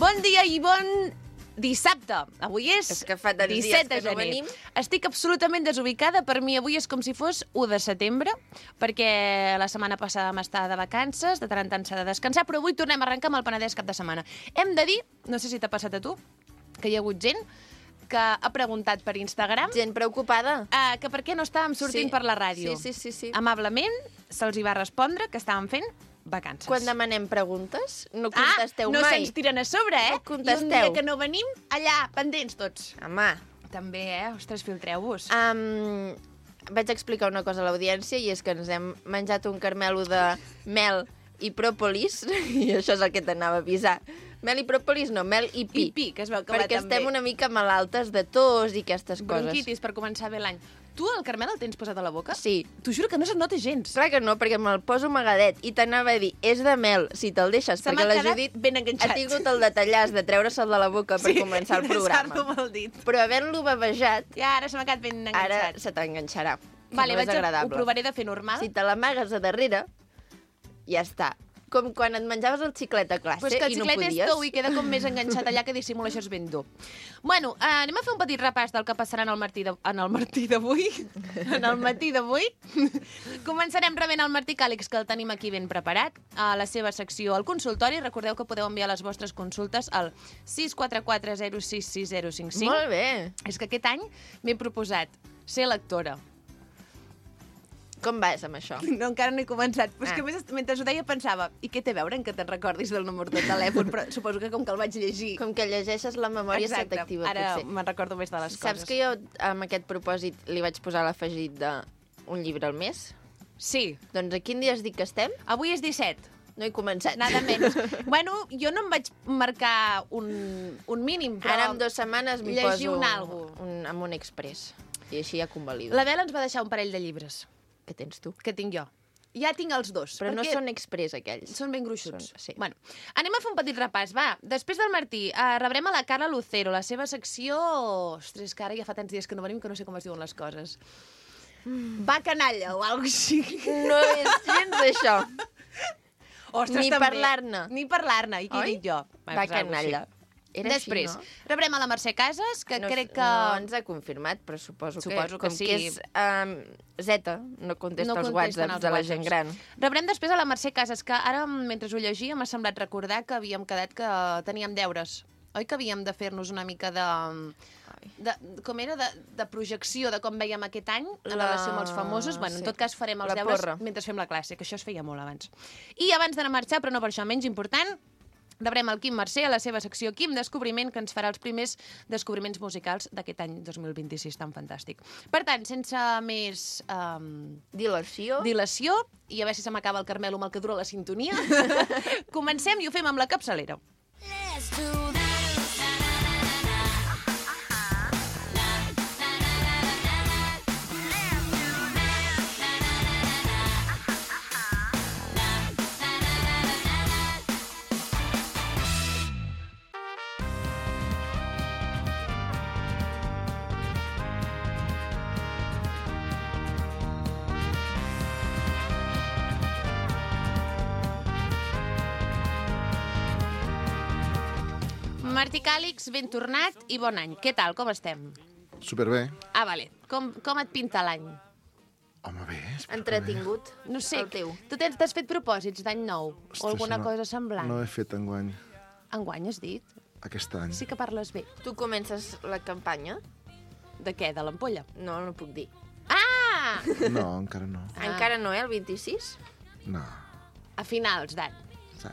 Bon dia i bon dissabte. Avui és que fa tants 17 dies de que no gener. venim. Estic absolutament desubicada. Per mi avui és com si fos 1 de setembre, perquè la setmana passada vam estar de vacances, de tant en tant s'ha de descansar, però avui tornem a arrencar amb el Penedès cap de setmana. Hem de dir, no sé si t'ha passat a tu, que hi ha hagut gent que ha preguntat per Instagram Gent preocupada. que per què no estàvem sortint Sí. per la ràdio. Sí. Amablement se'ls hi va respondre que estàvem fent vacances. Quan demanem preguntes, no contesteu no mai. se'ns tiren a sobre, eh? No contesteu. I un dia que no venim, allà, pendents tots. Home, També, Ostres, filtreu-vos. vaig explicar una cosa a l'audiència i és que ens hem menjat un carmelo de mel i pròpolis i això és el que t'anava a avisar. Mel i pròpolis no, mel i pi. I pi, que es veu que perquè va també. estem una mica malaltes de tos i aquestes coses. Bronquitis per començar bé l'any. Tu el Carmel el tens posat a la boca? Sí. T'ho juro que no se't nota gens. Clar que no, perquè me'l poso amagadet i t'anava a dir, és de mel, si te'l deixes, Se perquè m'ha la quedat Judit ben enganxat. ha tingut el detallàs de treure-se'l de la boca per començar el programa. Sí, amb el dit. Però havent-lo bavejat, I ara se m'ha quedat ben enganxat. ara se t'enganxarà. Vale, no és ho agradable. provaré de fer normal. Si te l'amagues a darrere, ja està. Com quan et menjaves el xiclet a classe Però és que el i no xiclet podies. és tou i queda com més enganxat allà que dissimula, això és ben dur. Bueno, anem a fer un petit repàs del que passarà en el matí d'avui. En el matí d'avui. Començarem rebent el Martí Càlix, que el tenim aquí ben preparat, a la seva secció al consultori. Recordeu que podeu enviar les vostres consultes al 644066055. Molt bé. És que aquest any m'he proposat ser lectora. Com vas amb això? No, encara no he començat. Però és que Ah. a més, mentre ho deia pensava, i què té a veure en que te'n recordis del número de telèfon? Però suposo que com que el vaig llegir... Com que llegeixes la memòria Exacte. se t'activa, Ara potser. me'n recordo més de les coses. Saps que jo, amb aquest propòsit, li vaig posar l'afegit d'un llibre al mes? Sí. Doncs a quin dia es dic que estem? Avui és 17. No he començat. Nada menys. Bueno, jo no em vaig marcar un mínim, però... Ara en 2 setmanes m'hi llegir poso un algo. amb un express. I així ja convalido. La Bela ens va deixar un parell de llibres Què tens tu? que tinc jo. Ja tinc els dos. Però no perquè són express, aquells. Són ben gruixuts. Sí. Bueno, anem a fer un petit repàs, va. Després del Martí, rebrem a la Carla Lucero, la seva secció... Ostres, que ara ja fa tants dies que no venim que no sé com es diuen les coses. Va canalla o alguna cosa així. No és gens això. Ostres, Ni també. parlar-ne. Ni parlar-ne. I què he Oi? dit jo? Va pues alguna canalla. així. Era Després, així, no? rebrem a la Mercè Casas, que crec que... No ens ha confirmat, però suposo que com sí. que és Zeta, no contesta els contesten whatsapps els de la gent gran. Rebrem després a la Mercè Casas, que ara, mentre ho llegia, m'ha semblat recordar que havíem quedat que teníem deures. Oi que havíem de fer-nos una mica com era? De projecció de com veiem aquest any en relació amb els famosos. Bueno, en tot cas farem els La deures porra. mentre fem la classe, que això es feia molt abans. I abans d'anar a marxar, però no per això menys important, rebrem el Quim Mercè a la seva secció Quim Descobriment, que ens farà els primers descobriments musicals d'aquest any 2026 tan fantàstic. Per tant, sense més Dilació. dilació, i a veure si se m'acaba el Carmelo amb el que dura la sintonia, comencem i ho fem amb la capçalera. Let's do that. Martí Càlix, ben tornat i bon any. Què tal, com estem? Superbé. Ah, vale. Com et pinta l'any? Home, bé, superbé. Entretingut. No sé, El teu. tu t'has fet propòsits d'any nou? Ostres, O alguna no- cosa semblant? No he fet enguany, Enguany has dit? aquest any. Sí que parles bé. Tu comences la campanya? De què? De l'ampolla? No, no puc dir. Ah! No, encara no. Encara no, el 26? No. A finals d'any. Sí.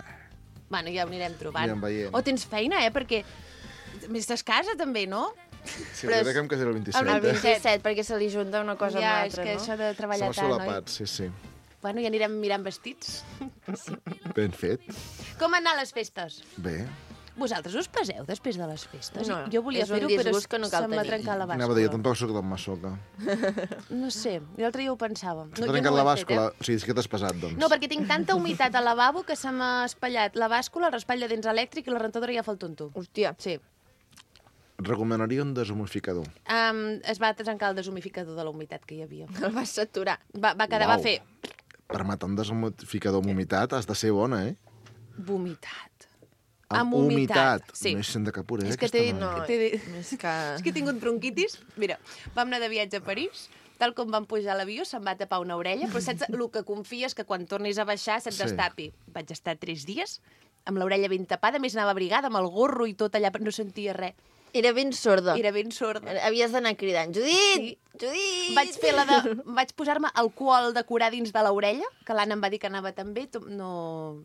Bueno, ja ho anirem trobant. Anirem veient. O tens feina, perquè... Estàs a casa, també, no? Sí, Però jo és- crec que em casaré el 27. El 27, perquè se li junta una cosa ja, amb és l'altra, que no? això de treballar Som tant, oi? solapats, sí, sí. Bueno, ja anirem mirant vestits. Ben fet. Com han anat les festes? Bé. Vosaltres us peseu després de les festes? No, Jo volia és un fer-ho, però disgust que no cal se'm va tenir. trencar la Anava a dir, jo bàscula. tampoc soc d'en Massoca. No sé, l'altre dia ho pensava. S'ha jo trencat ho la he fet, bàscula. O sigui, és que t'has pesat, doncs. No, perquè tinc tanta humitat al lavabo que se m'ha espatllat la bàscula, el raspall de dents elèctric i la rentadora ja fa el tonto. Hòstia. Sí. Recomanaria un deshumidificador. Es va trencar el deshumidificador de la humitat que hi havia. El vas saturar. Va quedar, Uau. va fer Per matar un deshumidificador amb humitat has de ser bona, eh? vomitat. Amb humitat, sí. No és sent de capura, És que aquesta t'he dit, noia. t'he dit... És que... És que he tingut bronquitis. Mira, vam anar de viatge a París, tal com vam pujar a l'avió, se'm va tapar una orella, però saps el que confies que quan tornis a baixar se't Sí. destapi. Vaig estar 3 dies amb l'orella ben tapada, a més anava abrigada, amb el gorro i tot allà, però no sentia res. Era ben sorda. Era ben sorda. Havies d'anar cridant, Judit! Sí. Judit! Vaig posar-me alcohol de curar dins de l'orella, que l'Anna em va dir que anava tan bé, no...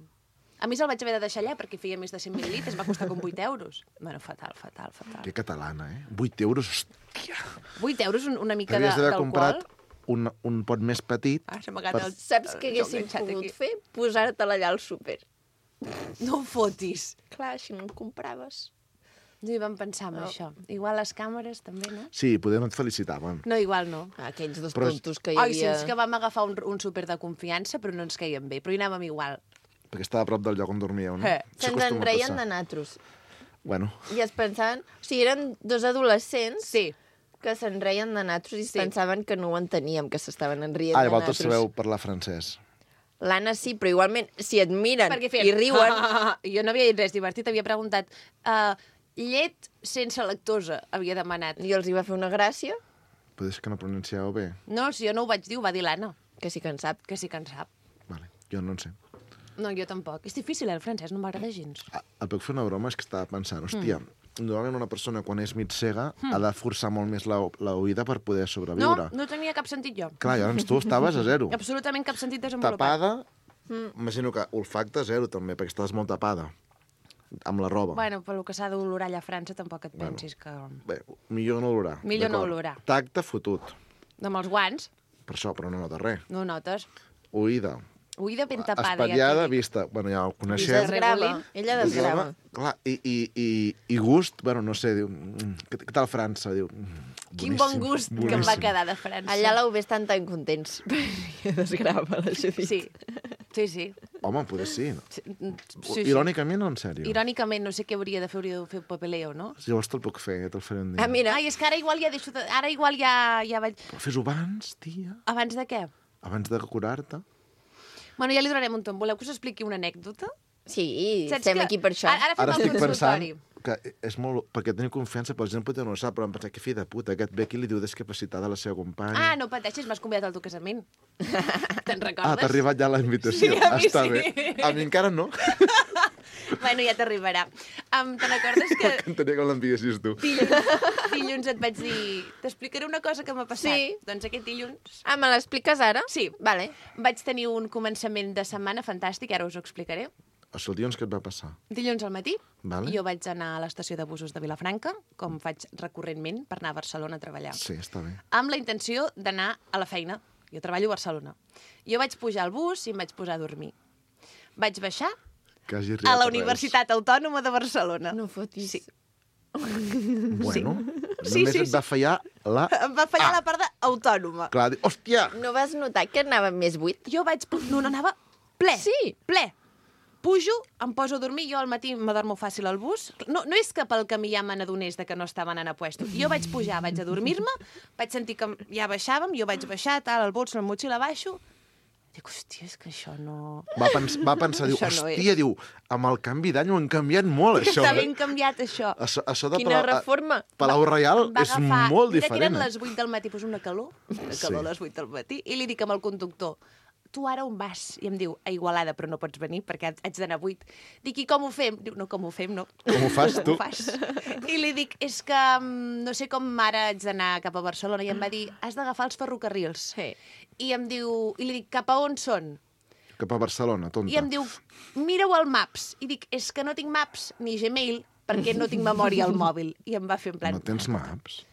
A més, el vaig haver de deixar allà perquè feia més de 100 mil·lilitres, va costar com 8 euros. Bueno, fatal. Que catalana, eh? 8 euros, hòstia. 8 euros, una mica Havies d'haver d'alcohol. comprat un pot més petit. Ah, s'ha amagat el... Saps què jo haguéssim enganxat pogut aquí. fer? Posar-te-la allà al súper. No ho fotis. Clar, així no en compraves. No hi vam pensar en això. Igual les càmeres, també, no? Sí, poder no et felicitaven. No, igual no. Aquells dos Però tontos que hi Ai, sí, havia... és que vam agafar un súper de confiança, però no ens caien bé, però hi anàvem igual. Perquè estava a prop del lloc on dormíeu, no? Sí. Se'ns en reien de natros. Bueno, I es pensaven... O sigui, eren dos adolescents Sí. que se'n reien de natros i es Sí. pensaven que no ho enteníem, que s'estaven enrient ah, de llavors natros. sabeu parlar francès. L'Anna sí, però igualment, si et miren Perquè feien... i riuen... Jo no havia dit res divertit, havia preguntat... llet sense lactosa, havia demanat. I els hi va fer una gràcia, Però és que no pronuncieu bé. No, si jo no ho vaig dir, ho va dir l'Anna, que sí que en sap. que sí que en sap. Vale, jo no en sé. No, jo tampoc. És difícil, el francès, no m'agrada gens. Ah, et puc fer una broma? És que estava pensant, hòstia, normalment una persona quan és mig cega ha de forçar molt més l'oïda per poder No, sobreviure. no tenia cap sentit jo. Clar, llavors tu estaves a zero. Absolutament cap sentit desenvolupat. Tapada, imagino que olfacte zero també, perquè estaves molt tapada amb la roba. Bueno, pel que s'ha d'olorar allà a França, tampoc et pensis que... Bé, millor no olorar. Millor no d'acord. olorar. Tacte fotut. Amb els guants, Per això, però no nota res. no ho notes. Oïda. Oïda ben tapada, Espatllada, ja t'ho dic. vista. Bueno, ja ho coneixeu. Desgrava. Ella desgrava. Clar, i gust, bueno, no sé, diu... Què tal França? Diu... Quin bon gust que em va quedar de França. Allà l'heu vist tan contents. Perquè desgrava la Judit. Sí, sí, sí. Home, potser sí. sí. Irònicament o en sèrio? Irònicament, no sé què hauria de fer papeleo, no? Si llavors te'l puc fer, te'l faré un dia. Ah, mira, Ai, és que ara igual ja deixo... Ara igual ja vaig... Però fes-ho abans, tia. Abans de què? Abans de curar-te. Bueno, ja li donarem un tom. Voleu que us expliqui una anècdota? sí, Saps estem que- aquí per això. Ara fem Ara el estic pensant consultori. que és molt... Perquè teniu confiança, però la gent potser no ho sap, però em pensa que fill de puta, aquest ve aquí i li diu discapacitat a la seva companya. Ah, no pateixis, m'has convidat al teu casament. Te'n recordes? Ah, t'ha arribat ja la invitació. Sí, a mi Està sí. bé. A mi encara no. Bueno, ja t'arribarà. Te'n recordes que Entenria que l'enviessis tu. dilluns et vaig dir... T'explicaré una cosa que m'ha passat. Sí. Doncs aquest dilluns Ah, me l'expliques ara? Sí. Vale. vaig tenir un començament de setmana fantàstic, ara us ho explicaré. O sigui, el dilluns què et va passar? Dilluns al matí, Vale. jo vaig anar a l'estació de busos de Vilafranca, com faig recurrentment per anar a Barcelona a treballar, Sí, està bé. amb la intenció d'anar a la feina. Jo treballo a Barcelona. Jo vaig pujar al bus i em vaig posar a dormir. Vaig baixar Que hagi a arribat la Reus. Universitat Autònoma de Barcelona. No fotis. Sí. Bueno, Sí, només sí, et va fallar la... Em va fallar la part d'autònoma. Clar, hòstia! No vas notar que anava més buit? Jo vaig... No, anava ple. Sí. Ple. Pujo, em poso a dormir, jo al matí m'adormo fàcil al bus. No és que pel camí ja me n'adonés de que no estaven anant a puesto. Jo vaig pujar, vaig a dormir-me, vaig sentir que ja baixàvem, jo vaig baixar, tal, el bols, la motxilla, baixo. Dic, hòstia, és que això no... Va pensar, diu, Això no hòstia, diu, amb el canvi d'any ho han canviat molt, això. Està ben canviat, això. Això de Quina reforma. Palau Reial Em va és agafar- molt mira que eren diferent. les 8 del matí, doncs una calor a les 8 del matí, i li dic amb el conductor, tu ara on vas? I em diu, a Igualada, però no pots venir perquè haig d'anar a 8. Dic, i com ho fem? Diu, no, com ho fem, no. Com ho fas, tu? Com ho fas? I li dic, és que no sé com ara haig d'anar cap a Barcelona. I em va dir, has d'agafar els ferrocarrils. Sí. I em diu, i li dic, cap a on són? Cap a Barcelona, tonta. I em diu, mira-ho al Maps. I dic, és que no tinc Maps ni Gmail perquè no tinc memòria al mòbil. I em va fer en plan... No tens maps?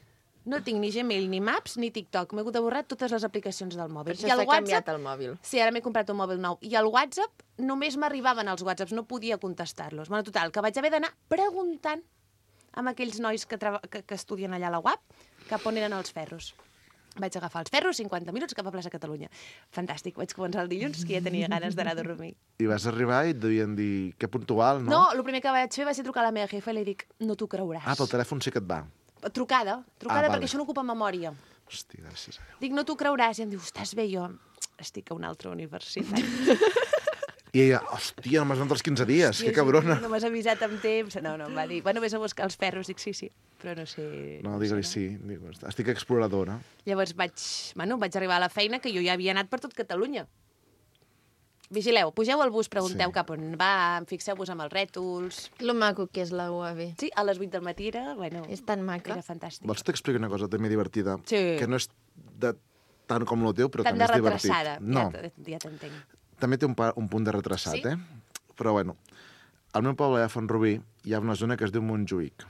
No tinc ni Gmail, ni Maps, ni TikTok. M'he hagut de borrar totes les aplicacions del Per mòbil. això I el s'ha canviat el mòbil. Sí, ara m'he comprat un mòbil nou. I el WhatsApp, només m'arribaven els WhatsApps, no podia contestar-los. Bueno, total, que vaig haver d'anar preguntant amb aquells nois que estudien allà a la UAP cap on eren els ferros. Vaig agafar els ferros, 50 minuts, cap a plaça Catalunya. Fantàstic, vaig començar el dilluns, que ja tenia ganes d'anar a dormir. I vas arribar i et devien dir que puntual, no? No, el primer que vaig fer va ser trucar a la meva jefa i li dic, no t'ho creuràs. Ah, pel telèfon sí que et va. Trucada, vale. perquè això no ocupa memòria. Hòstia, gràcies a Déu. Dic, no t'ho creuràs. I em diu, estàs bé? Jo estic a una altra universitat. I ella, hòstia, no m'has donat els 15 dies, que cabrona. No m'has avisat amb temps. No, em va dir, bueno, vés a buscar els ferros. Dic, sí, però no sé... No, digue-li sí. Digo, estic exploradora. Llavors vaig arribar a la feina, que jo ja havia anat per tot Catalunya. Vigileu, pugeu al bus, pregunteu cap on va, fixeu-vos amb els rètols... Lo maco que és la UAB. Sí, a les 8 del matí era, bueno... És tan maca. Era fantàstic. Vols t'explicar una cosa també divertida? Sí. Que no és de tant com el teu, però Tant també de és divertit. retrasada, No, ja t'entenc. també té un punt de retrasat, Sí? Però bueno, al meu poble a Font-rubí hi ha una zona que es diu Montjuïc.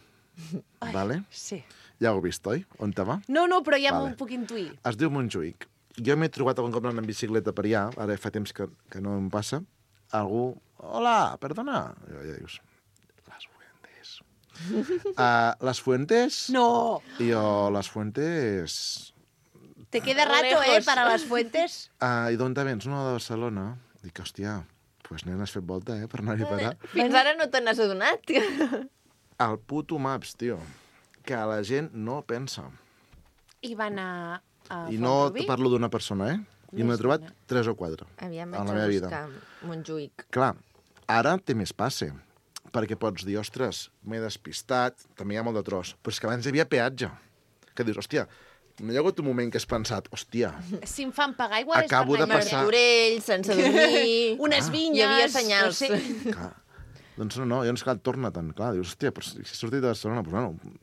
Vale? Sí. Ja ho heu vist, oi? On te va? No, però ja Vale. m'ho puc intuir. Es diu Montjuïc. Jo m'he trobat algun cop anant en bicicleta per allà, ara fa temps que no em passa, algú... Hola, perdona. I ja dius, Las Fuentes. Las Fuentes? No! I jo, Las Fuentes... Te queda rato, Lejos. para las fuentes. I d'on te vens? No, de Barcelona. Dic, hòstia, pues nen, has fet volta, per anar-hi a parar. Fins ara no te n'has adonat. El puto Maps, tio, que la gent no pensa. I va anar a I no Font-rubí? parlo d'una persona, I m'he trobat 3 o 4 Aviam, en vaig la a meva vida. buscar Montjuïc. Clar, ara té més passe, perquè pots dir, ostres, m'he despistat, també hi ha molt de tros, però és que abans hi havia peatge. Que dius, hòstia, no hi ha hagut un moment que has pensat, hòstia, Si em fan pagar, igual Acabo és de per anar passar- Martorell, sense dormir... Unes vinyes... Hi havia senyals. No sé. clar, doncs no, llavors clar, torna tant, clar, dius, hòstia, però si he sortit de Barcelona, doncs bueno,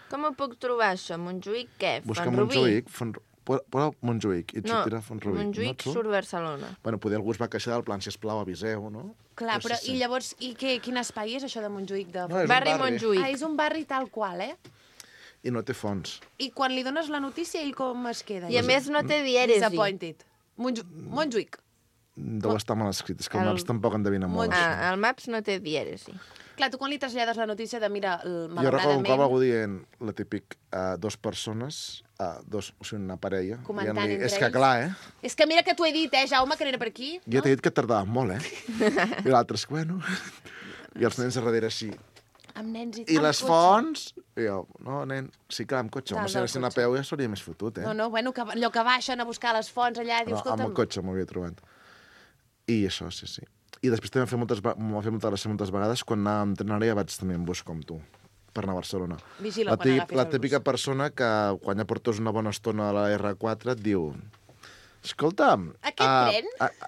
Com ho puc trobar, això? Montjuïc, què? busca Font-rubí? Montjuïc, posa Montjuïc i et No, sortirà Font-rubí. Montjuïc et surt? surt Barcelona. Bueno, poder algú es va queixar del plan, sisplau, aviseu, no? Clar, però sí. i llavors, quin espai és això de Montjuïc? No, és un Barri barri. Montjuïc. Ah, és un barri tal qual, I no té fons. I quan li dones la notícia, ell com es queda? I a més no té dièresi. Disappointed. Montjuïc. Deu estar mal escrit, és que el El- Maps tampoc endevina molt. Montjuïc. això. El Maps no té dièresi. Clar, tu quan li trasllades la notícia de, mira, Jo recordo un cop malauradament... algú dient, la típic, dos persones, o sigui, una parella, Comentant dient-li, entre és que ells. clar, És que mira que t'ho he dit, Jaume, que no era per aquí. Jo t'he dit que tardava molt, I l'altre és que, bueno... I els nens a darrere així. Amb nens i I amb les cotxe. fonts? I jo, no, nen, sí, clar, amb cotxe. Dalt Home, si del anessin a cotxe. peu ja seria més fotut, No, bueno, que, allò que baixen a buscar les fonts allà, dius, No, amb escolta'm... el cotxe m'ho havia trobat. I això, sí. I després també m'ho va fer molta gràcia moltes vegades quan anava amb tren, ara ja vaig també en bus com tu, per anar a Barcelona. Vigila quan agafis La el típica bus. persona que quan ja portes una bona estona a la R4 et diu, escolta'm... Aquest tren?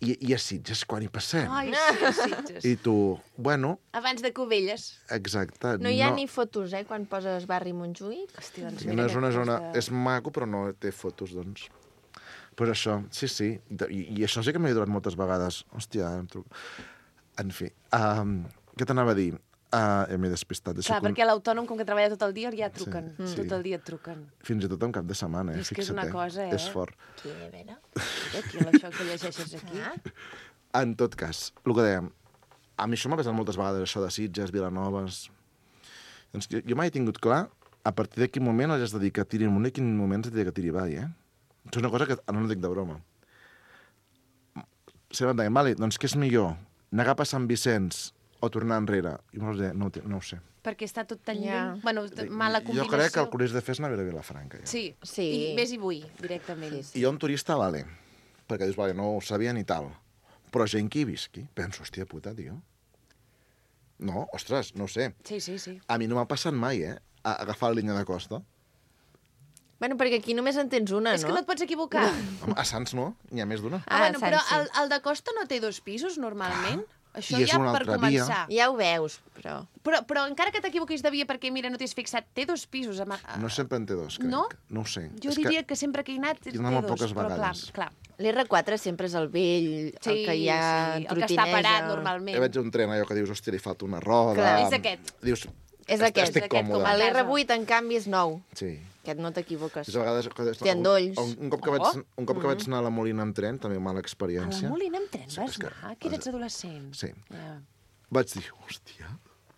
I a Sitges, quan hi passem? Ai, sí, Sitges. I tu, bueno, Abans de Cubelles. exacte. No hi ha ni fotos, quan poses barri Montjuïc? Hosti, doncs No és una zona... És maco, però no té fotos, doncs. Pues això, sí. I això sí que m'he trobat moltes vegades. Hòstia, em truco... En fi, què t'anava a dir? M'he despistat. Clar, perquè l'autònom, com que treballa tot el dia, ja truquen. Sí. Tot el dia et truquen. Fins i tot en cap de setmana, És que és fixa't, una cosa, És fort. Sí, a veure. Aquí, això que llegeixes aquí. En tot cas, el que dèiem, a mi això m'ha passat moltes vegades, això de Sitges, Vilanovas... Doncs jo mai he tingut clar a partir de quin moment has de dir que tiri amunt i quin moment has de dir que tiri avall, Això és una cosa que no dic de broma. Sempre em deien, vale, doncs què és millor? Negar per Sant Vicenç o tornar enrere? I no ho sé. Perquè està tot tan Ja. lluny. Bueno, mala combinació. Jo crec que el que hauries de fer és anar a veure Vilafranca. Ja. Sí. Sí. I vés i vull, directament. Sí, I jo un turista, vale, perquè dius, vale, no ho sabia ni tal. Però gent que hi visqui, penso, hòstia puta, tio. No, ostres, no ho sé. Sí. A mi no m'ha passat mai, a agafar la línia de costa. Bueno, perquè aquí només en tens una, És no? que no et pots equivocar. Home, a Sants no, n'hi ha més d'una. Bueno, però Sants, sí. el de Costa no té 2 pisos, normalment? Això I és ja una per altra via. començar. Ja ho veus, però... Però encara que t'equivoquis de via perquè, mira, no t'has fixat, té 2 pisos. No sempre en té dos, crec. No? No ho sé. Jo És diria que sempre que he anat té he anat molt 2, poques però vegades. clar. L'R4 sempre és el vell, Sí, el que hi ha sí, el que està parat Jo normalment. veig un tren allò que dius, hòstia, li falta una roda... Clar, és aquest. Dius, És aquest, estic és aquest, còmode. com a L'R8, en canvi, és nou. Sí. Aquest no t'equivoques. És a vegades... Té endolls. Un cop que vaig anar a la Molina amb tren, també mala A la experiència. Molina amb tren Sí, vas és que- anar? Que eres adolescent. Sí. Ja. Vaig dir, hòstia,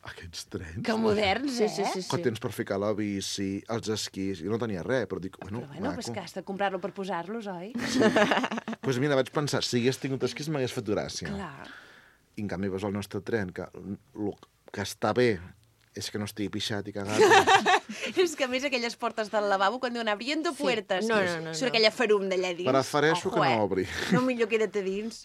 aquests trens... Que moderns, Sí, sí, sí, Que tens per ficar la bici, els esquís... I no tenia res, però dic, bueno, Però bueno, és que has de comprar-lo per posar-los, oi? Pues mira, vaig pensar, si hagués tingut esquís m'hagués fet gràcia. Clar. I en canvi veus el nostre tren, que el que està bé és que no estigui pixat i cagat. És que a més aquelles portes del lavabo, quan diuen abriendo puertes, No. surt aquella ferum d'allà dins. Prefereixo que no obri. No, millor queda't a dins.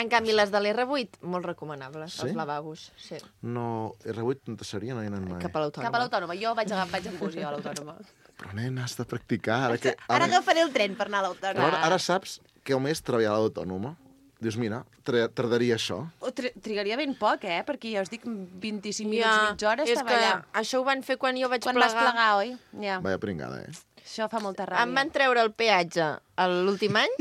En canvi, les de l'R8, molt recomanables, Sí? els lavabos. Sí. No, R8 no seria, no hi ha anat mai. Cap a l'autònoma. Cap a l'autònoma. Jo vaig en bus, jo, a l'autònoma. Però, nena, has de practicar. Ara agafaré el tren per anar a l'autònoma. Ara saps que el mes treballar a l'autònoma. Dius, mira, tardaria això. Trigaria ben poc, perquè ja us dic, 25 minuts, mitja hora és estava que allà. això ho van fer quan jo vaig Quan plegar. vas plegar, oi? Ja. Vaya pringada, Això fa molta ràbia. Em van treure el peatge l'últim any.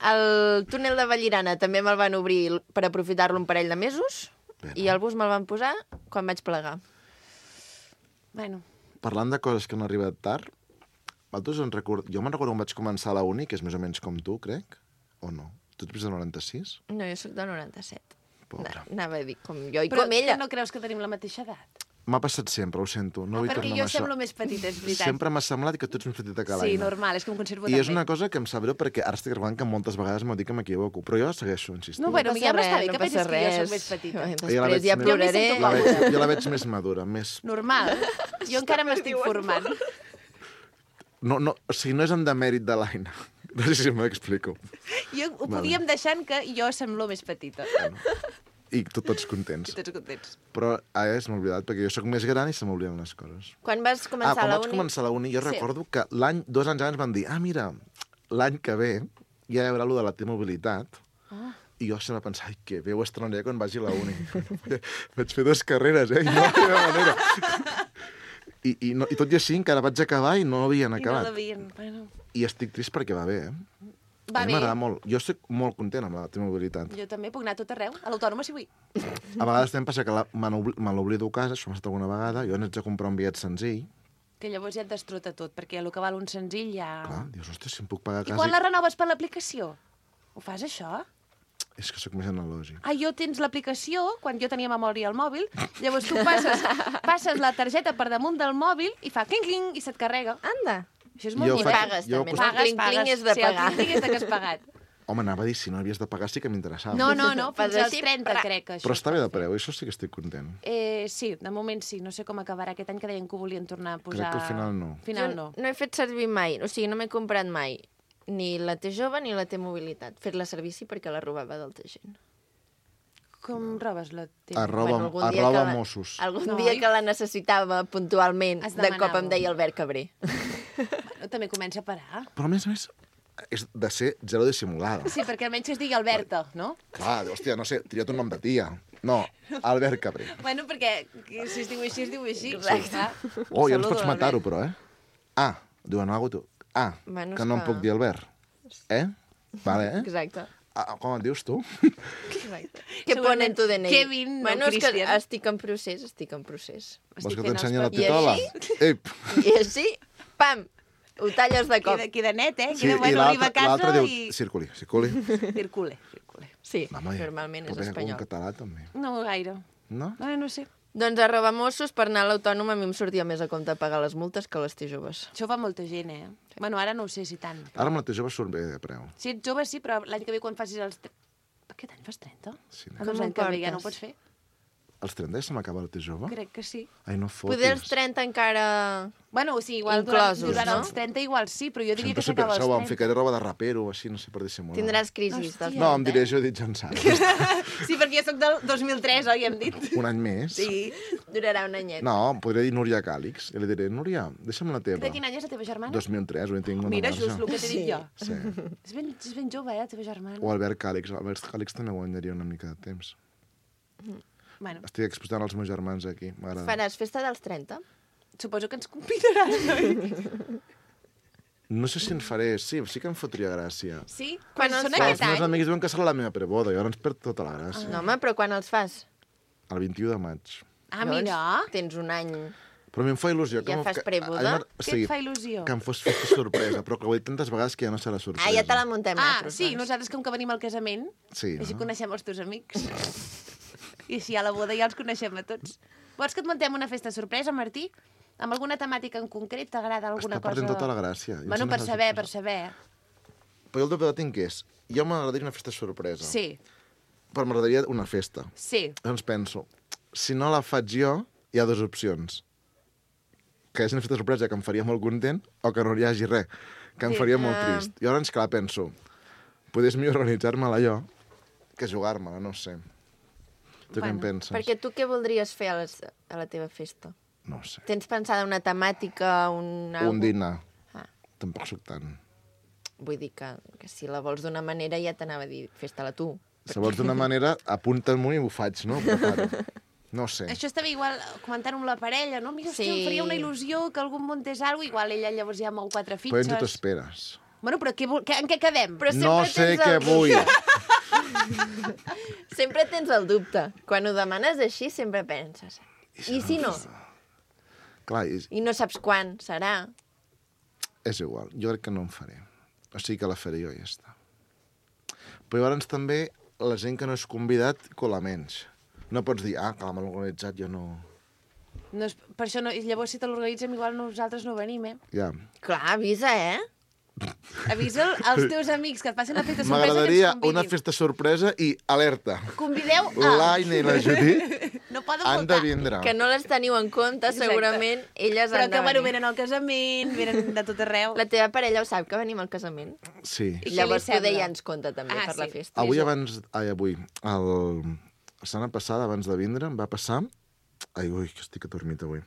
El túnel de Vallirana també me'l van obrir per aprofitar-lo un parell de mesos. Bé, I el bus me'l van posar quan vaig plegar. Bueno, Parlant de coses que han arribat tard, jo me'n recordo quan vaig començar a la uni, que és més o menys com tu, crec, o no? Tu ets de 96? No, jo sóc de 97. Pobra. Anava a dir com jo i però com ella. no creus que tenim la mateixa edat? M'ha passat sempre, ho sento. No vull Perquè tornar jo amb això. semblo més petita, és veritat. Sempre m'ha semblat que tu ets més petita que l'Aina. Sí, normal, és que em conservo I també. és una cosa que em sap greu perquè ara estic recordant que moltes vegades m'ho dic que m'equivoco, però jo segueixo insistint. No, bueno, ja m'està bé que pensis que jo soc més petita. petita. Jo la Després veig ja més- ploraré. Jo jo la veig més madura, més... Normal. Jo encara m'estic formant. No, o sigui, no és en demèrit de l'Aina. No sé si m'explico. Jo ho podíem deixant que jo semblo més petita. I tots contents. I tots contents. Però ara se m'ha oblidat, perquè jo sóc més gran i se m'obliden les coses. Quan vas començar quan la vaig uni... començar la uni, jo Sí. recordo que 2 anys abans van dir mira, l'any que ve ja hi haurà allò de la T-mobilitat. I jo sempre pensava, ai, que bé, ho estrenaré quan vagi a la uni. Vaig fer 2 carreres, I no hi havia manera. I tot i així encara vaig acabar i no havien I no acabat. l'havien. Bueno, I estic trist perquè va bé, va A mi bé. m'agrada molt. Jo estic molt content amb la T-mobilitat. Jo també puc anar a tot arreu. A l'autònoma si vull. A vegades també passa que me l'oblido a casa, això m'ha passat alguna vegada, jo n'haig de comprar un bitllet senzill. Que llavors ja et destrota tot, perquè el que val un senzill ja... Clar, dius, ostres, si em puc pagar a I casa... quan la renoves per l'aplicació? Ho fas, això? És que sóc més analògic. Ah, jo tens l'aplicació, quan jo tenia memòria al mòbil, llavors tu passes la targeta per damunt del mòbil i fa cling-cling i se't carrega. Anda. Això és Jo molt ho I faig- pagues, jo també. ho No? cost- Cling-cling és de Sí, pagar. el cling-cling és de que has pagat. Home, anava a dir, si no havies de pagar sí que m'interessava. No, Fas fins als així, 30 pra. crec que això. Però està bé de preu, això sí que estic content. Sí, de moment sí. No sé com acabarà aquest any, que deien que ho volien tornar a posar... Crec que al final no. Al final Jo no. no he fet servir mai, o sigui, no m'he comprat mai ni la T jove ni la T mobilitat. Fet-la servir sí perquè la robava d'altra gent. Com robes la teva? algun dia Arroba que la- Mossos. Algun No, dia oi? que la necessitava puntualment, Es de cop demanava. em deia Albert Cabré. Bueno, també comença a parar. Però a més, és de ser zero dissimulada. Sí, perquè almenys que es digui Alberta, no? Clar, hòstia, no sé, tria't un nom de tia. No, Albert Cabré. Bueno, perquè si es diu així, es diu així. Exacte. Ah. Oh, ja ens Saludo, pots matar-ho, però, diuen alguna cosa tu. Bueno, que és no em que- puc dir Albert. Vale, Exacte. Com et dius tu? Exacte. Què pone en tu DNI? Kevin, no bueno, és que Christian. estic en procés, estic en procés. Vols que fent els t'ensenyi la papers. titola? Ep. I així, pam, ho talles de cop. Queda net, Sí, Queda, i bueno, arriba a l'altre casa diu, i... circuli. Circule. Sí, Home, normalment és però vinga, espanyol. En català, també. No gaire. No? No sé. Doncs a Mossos, per anar a l'autònom, a mi em sortia més a compte pagar les multes que les joves. Això ho fa molta gent, Bueno, ara no ho sé si tant. Ara amb la teva jove surt bé de preu. Si ets jove, sí, però l'any que ve quan facis els... Aquest any fas 30? Sí, Ah, Com doncs ho l'any que ve ja no ho portes? pots fer? Els 30 ja se m'acaba la teva jove? Crec que sí. Ai, no fotis. Poder els 30 encara... Bueno, o sigui, igual Inclosos, durant no? els 30 igual sí, però jo diria Sempre que s'acaba això, em els 30. ficaré roba de rapero o així, no sé, per dissimular. Tindràs crisis dels No, em 30, diré, jo he dit Jan Sara. Sí, perquè jo sóc del 2003, oi, hem dit? Un any més. Sí. Durarà un anyet. No, em podria dir Núria Càlix. I li diré, Núria, deixa'm la teva. De quin any és la teva germana? 2003, ho tinc una Mira, marge. just el que t'he dit jo. Sí. És ben jove, la teva germana. O Albert Càlix. Albert Càlix també guanyaria una mica de temps. Bueno, Estic exposant els meus germans aquí. M'agrada. Faràs festa dels 30? suposo que ens convidaran, oi? No sé si en faré... Sí, sí que em fotria gràcia. Sí? Quan Quan els són fas? aquest Els meus any? amics diuen que serà la meva preboda, i ara ens perd tota la gràcia. No, home, però quan els fas? El 21 de maig. Ah, mira. Tens un any. Però a mi em fa il·lusió. Ja fas preboda? Què et fa il·lusió? Que em fos festa sorpresa, però que ho he dit tantes vegades que ja no serà sorpresa. Ah, ja te la muntem Ah, nosaltres, sí, doncs. nosaltres com que venim al casament, Sí, així no? coneixem els teus amics. I així a la boda ja els coneixem a tots. Vols que et muntem una festa sorpresa, Martí? Amb alguna temàtica en concret? T'agrada alguna Està cosa? perdent tota la gràcia. I em Bueno, sembla per que saber, és per saber. Però jo el dubte que tinc és... Jo m'agradaria una festa sorpresa. Sí, Però m'agradaria una festa. sí. Llavors penso, si no la faig jo, hi ha dues opcions. Que és una festa sorpresa que em faria molt content o que no hi hagi res, que em Sí. faria molt trist. I llavors, clar, penso, podés millor organitzar-me-la jo que jugar-me-la, no ho sé. Tu què en penses? Perquè tu què voldries fer a la teva festa? No ho sé. Tens pensada una temàtica, Un dinar. Ah. Tampoc soc tant. Vull dir que si la vols d'una manera ja t'anava a dir festa-la tu. Si vols d'una manera, apunta-m'ho i ho faig, no? Preparo. No ho sé. Això estava igual comentant amb la parella, no? Mira, hòstia, em faria una il·lusió que algú muntés alguna cosa, igual ella llavors ja mou 4 Però ja fitxes. t'esperes. Bueno, però en què quedem? Però No sempre sé tens què el vull. Sempre tens el dubte. Quan ho demanes així, sempre penses. I si no? Clar, I no saps quan serà. és igual. Jo crec que no en faré. O sigui que la faré jo i ja està. Però llavors també la gent que no és convidat cola menys. No pots dir, que l'hem organitzat, jo no... No és, per això no, llavors si te l'organitzem igual nosaltres no venim, Ja. Clar, avisa, Avisa als teus amics que et facin la festa sorpresa que M'agradaria ens convidin. una festa sorpresa i alerta. Convideu a... L'Aina i la Judit No poden han de faltar. vindre. Que no les teniu en compte, Exacte. segurament elles Però han que, de bueno, venir. venen al casament, venen de tot arreu. La teva parella ho sap, que venim al casament? Sí. I què Llavors li sembla? poder ja ens compta també Ah, per la sí. festa. Avui, la setmana passada, abans de vindre, em va passar... Ui, que estic adormit avui.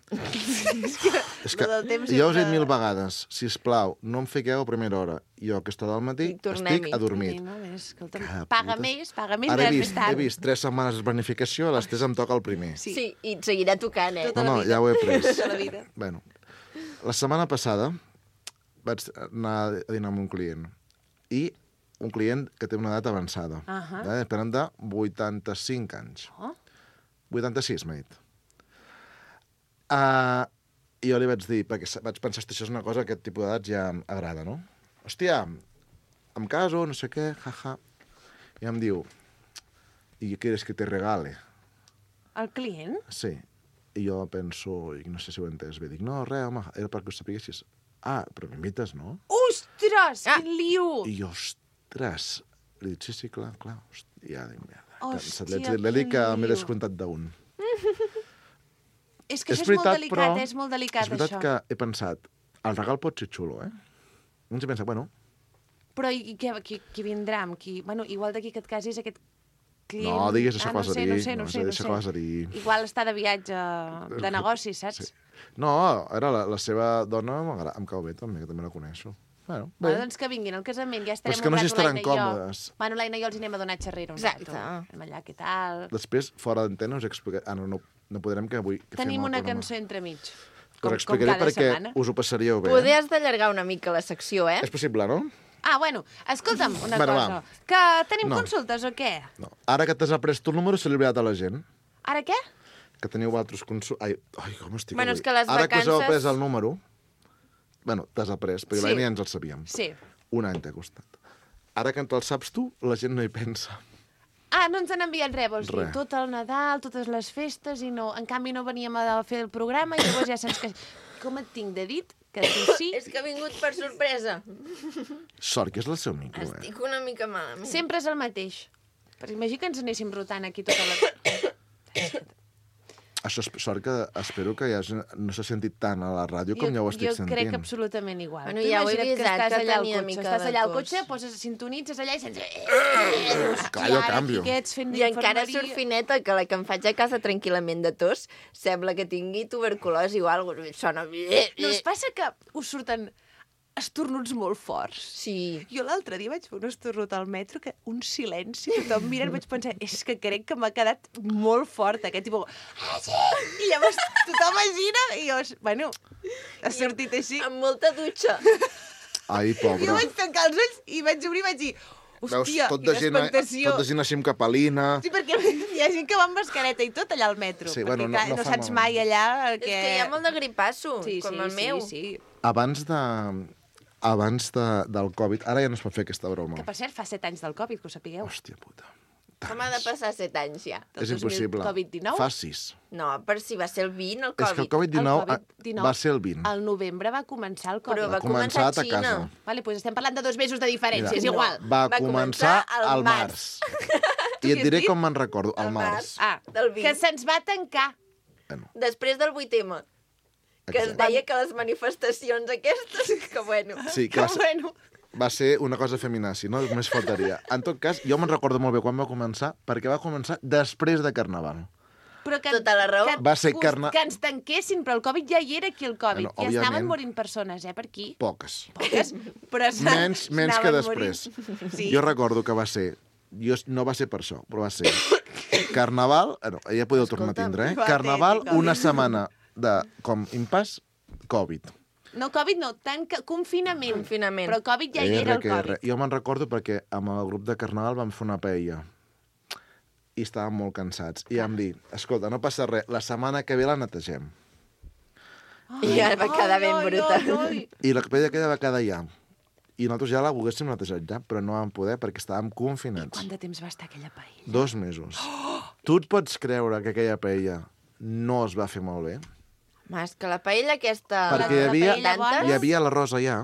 És que Lo del temps jo us he dit sempre- 1000 vegades, sisplau, no em fiqueu a primera hora. Jo, a aquesta hora del matí, I tornem-hi. estic adormit. No, escolta'm, Que paga putes. més, Ara més tard. he vist 3 setmanes de planificació, a les 3 em toca el primer. Sí. Sí, i et seguirà tocant, Tota No, la vida. ja ho he pres. Tota la vida. Bueno, la setmana passada vaig anar a dinar amb un client. I un client que té una edat avançada. Esperant de 85 anys. Oh. 86, m'ha dit. I jo li vaig dir, perquè vaig pensar que això és una cosa que aquest tipus d'edats ja agrada, no? Hòstia, em caso, no sé què, jaja. I em diu, ¿y qué quieres que te regale? El client? Sí. I jo penso, i no sé si ho he entès bé, dic, no, res, home, era perquè ho sapiguessis. Però m'invites, no? Ostres, quin lío! I jo, ostres, li dic, sí, clar. Hòstia, dic, merda. Hòstia, L'he dit que quin m'he lío. descomptat d'un. És que això és molt delicat, és molt delicat, és veritat això. que he pensat, el regal pot ser xulo, Doncs he pensat, bueno, Però i qui vindrà? Amb qui? Bueno, igual d'aquí que et casis aquest client... no digues això que vas a dir. No sé. Deixa que vas a dir. Igual està de viatge de negocis, saps? Sí. No, era la seva dona, em cau bé també, que també la coneixo. Bueno, bé. Bueno, doncs que vinguin al casament, ja estarem és que no un sé rato, si estaran l'Aina i jo. còmodes. Bueno, l'Aina i jo els anem a donar xerrera un Exacte. rato. Anem allà, què tal? Després, fora d'antena, us explicaré... no podrem que avui... Que Tenim fem el una programa. cançó entremig. Us explicaré cada perquè setmana. us ho passaríeu bé. Poder has d'allargar una mica la secció, És possible, no? Ah, bueno, escolta'm una Bueno, cosa. va. Que tenim No. consultes o què? No. Ara que t'has après tu el número, se l'he oblidat a la gent. Ara què? Que teniu altres consultes... Ai, com estic Bueno, avui. és que les Ara que us heu vacances- après el número... Bueno, t'has après, però Sí. l'Aina ja ens el sabíem. Sí. Un any t'ha costat. Ara que te'l saps tu, la gent no hi pensa. Ah, no ens han enviat res, vols dir? Res. Tot el Nadal, totes les festes, i no... En canvi, no veníem a fer el programa, i llavors ja saps que... Com et tinc de dit? Que tu sí... És que ha vingut per sorpresa. Sort, que és el seu micro, Estic una mica malament. Sempre és el mateix. Però imagina que ens anéssim rotant aquí tota la... Això és sort que espero que ja no s'ha sentit tant a la ràdio com ja ho estic jo sentint. crec absolutament igual. Bueno, Tu ja ho he imagina't avisat, estàs que allà al tenia cotxe, mica estàs de allà al tos. cotxe, poses, sintonitzes allà i sents... Clar, jo canvio. I encara surt fineta, que la que em faig a casa tranquil·lament de tos sembla que tingui tuberculosi o alguna cosa. Sona... No us passa que us surten estornuts molt forts? Sí. Jo l'altre dia vaig fer un esternut al metro, que un silenci, tothom mirant, vaig pensar, és que crec que m'ha quedat molt fort, aquest tipus... I llavors tothom es gira i jo, bueno, ha sortit així. Amb molta dutxa. Ai, pobre. Jo vaig tancar els ulls i vaig obrir i vaig dir, Veus, hòstia, tot de quina gent, expectació. tot de gent així amb capelina... Sí, perquè hi ha gent que va amb mascareta i tot allà al metro. Sí, perquè, bueno, no- clar, no no fa saps mal. mai allà És que... que hi ha molt de gripasso, com el meu. Sí. Abans del Covid... Ara ja no es pot fer aquesta broma. Que, per cert, fa 7 anys del Covid, que ho sapigueu. Hòstia puta. Com ha de passar 7 anys ja? Del És impossible. 2000 Covid-19? Fa 6. No, per si va ser el 20, el És que el Covid. Covid-19 Covid-19 va ser el 20. Al novembre va començar el Covid. Però va començar començar a a Xina. Xina. Vale, doncs estem parlant de 2 mesos de diferència, Mira, és igual. Va Va començar començar al al març. Tu I què et diré has dit? com me'n recordo, al Al març. març. Ah, Del 20. que se'ns va tancar. Bueno, Després del 8M, que es exacte. deia que les manifestacions aquestes, que bueno... Sí, que va ser... Bueno, va ser una cosa feminazi, no? Només faltaria. En tot cas, jo me'n recordo molt bé quan va començar, perquè va començar després de Carnaval. Però que, Tota la raó. Va ser que ens tanquessin, però el Covid ja hi era aquí, el Covid. Bueno, ja estaven òbviament. morint persones, per aquí. Poques. Poques, però Menys que anaven després. morint. Sí. Jo recordo que va ser... No va ser per això, però va ser... Carnaval... No, ja podeu tornar a tindre, eh? va, Carnaval, té Covid. una setmana de com impàs, Covid. No, Covid no, confinament. Confinament. Però Covid ja hi era, el Covid. Jo me'n recordo perquè amb el grup de Carnaval vam fer una paella i estàvem molt cansats. I vam dir, escolta, no passa res, la setmana que ve la netegem. I ja va quedar ben bruta. I la paella aquella va quedar ja. I nosaltres ja la volguéssim netejat ja, però no vam poder perquè estàvem confinats. Quant de temps va estar aquella paella? 2 mesos. Tu et pots creure que aquella paella no es va fer molt bé? Mas, que la paella aquesta... Perquè la paella bona. hi havia l'arròs allà,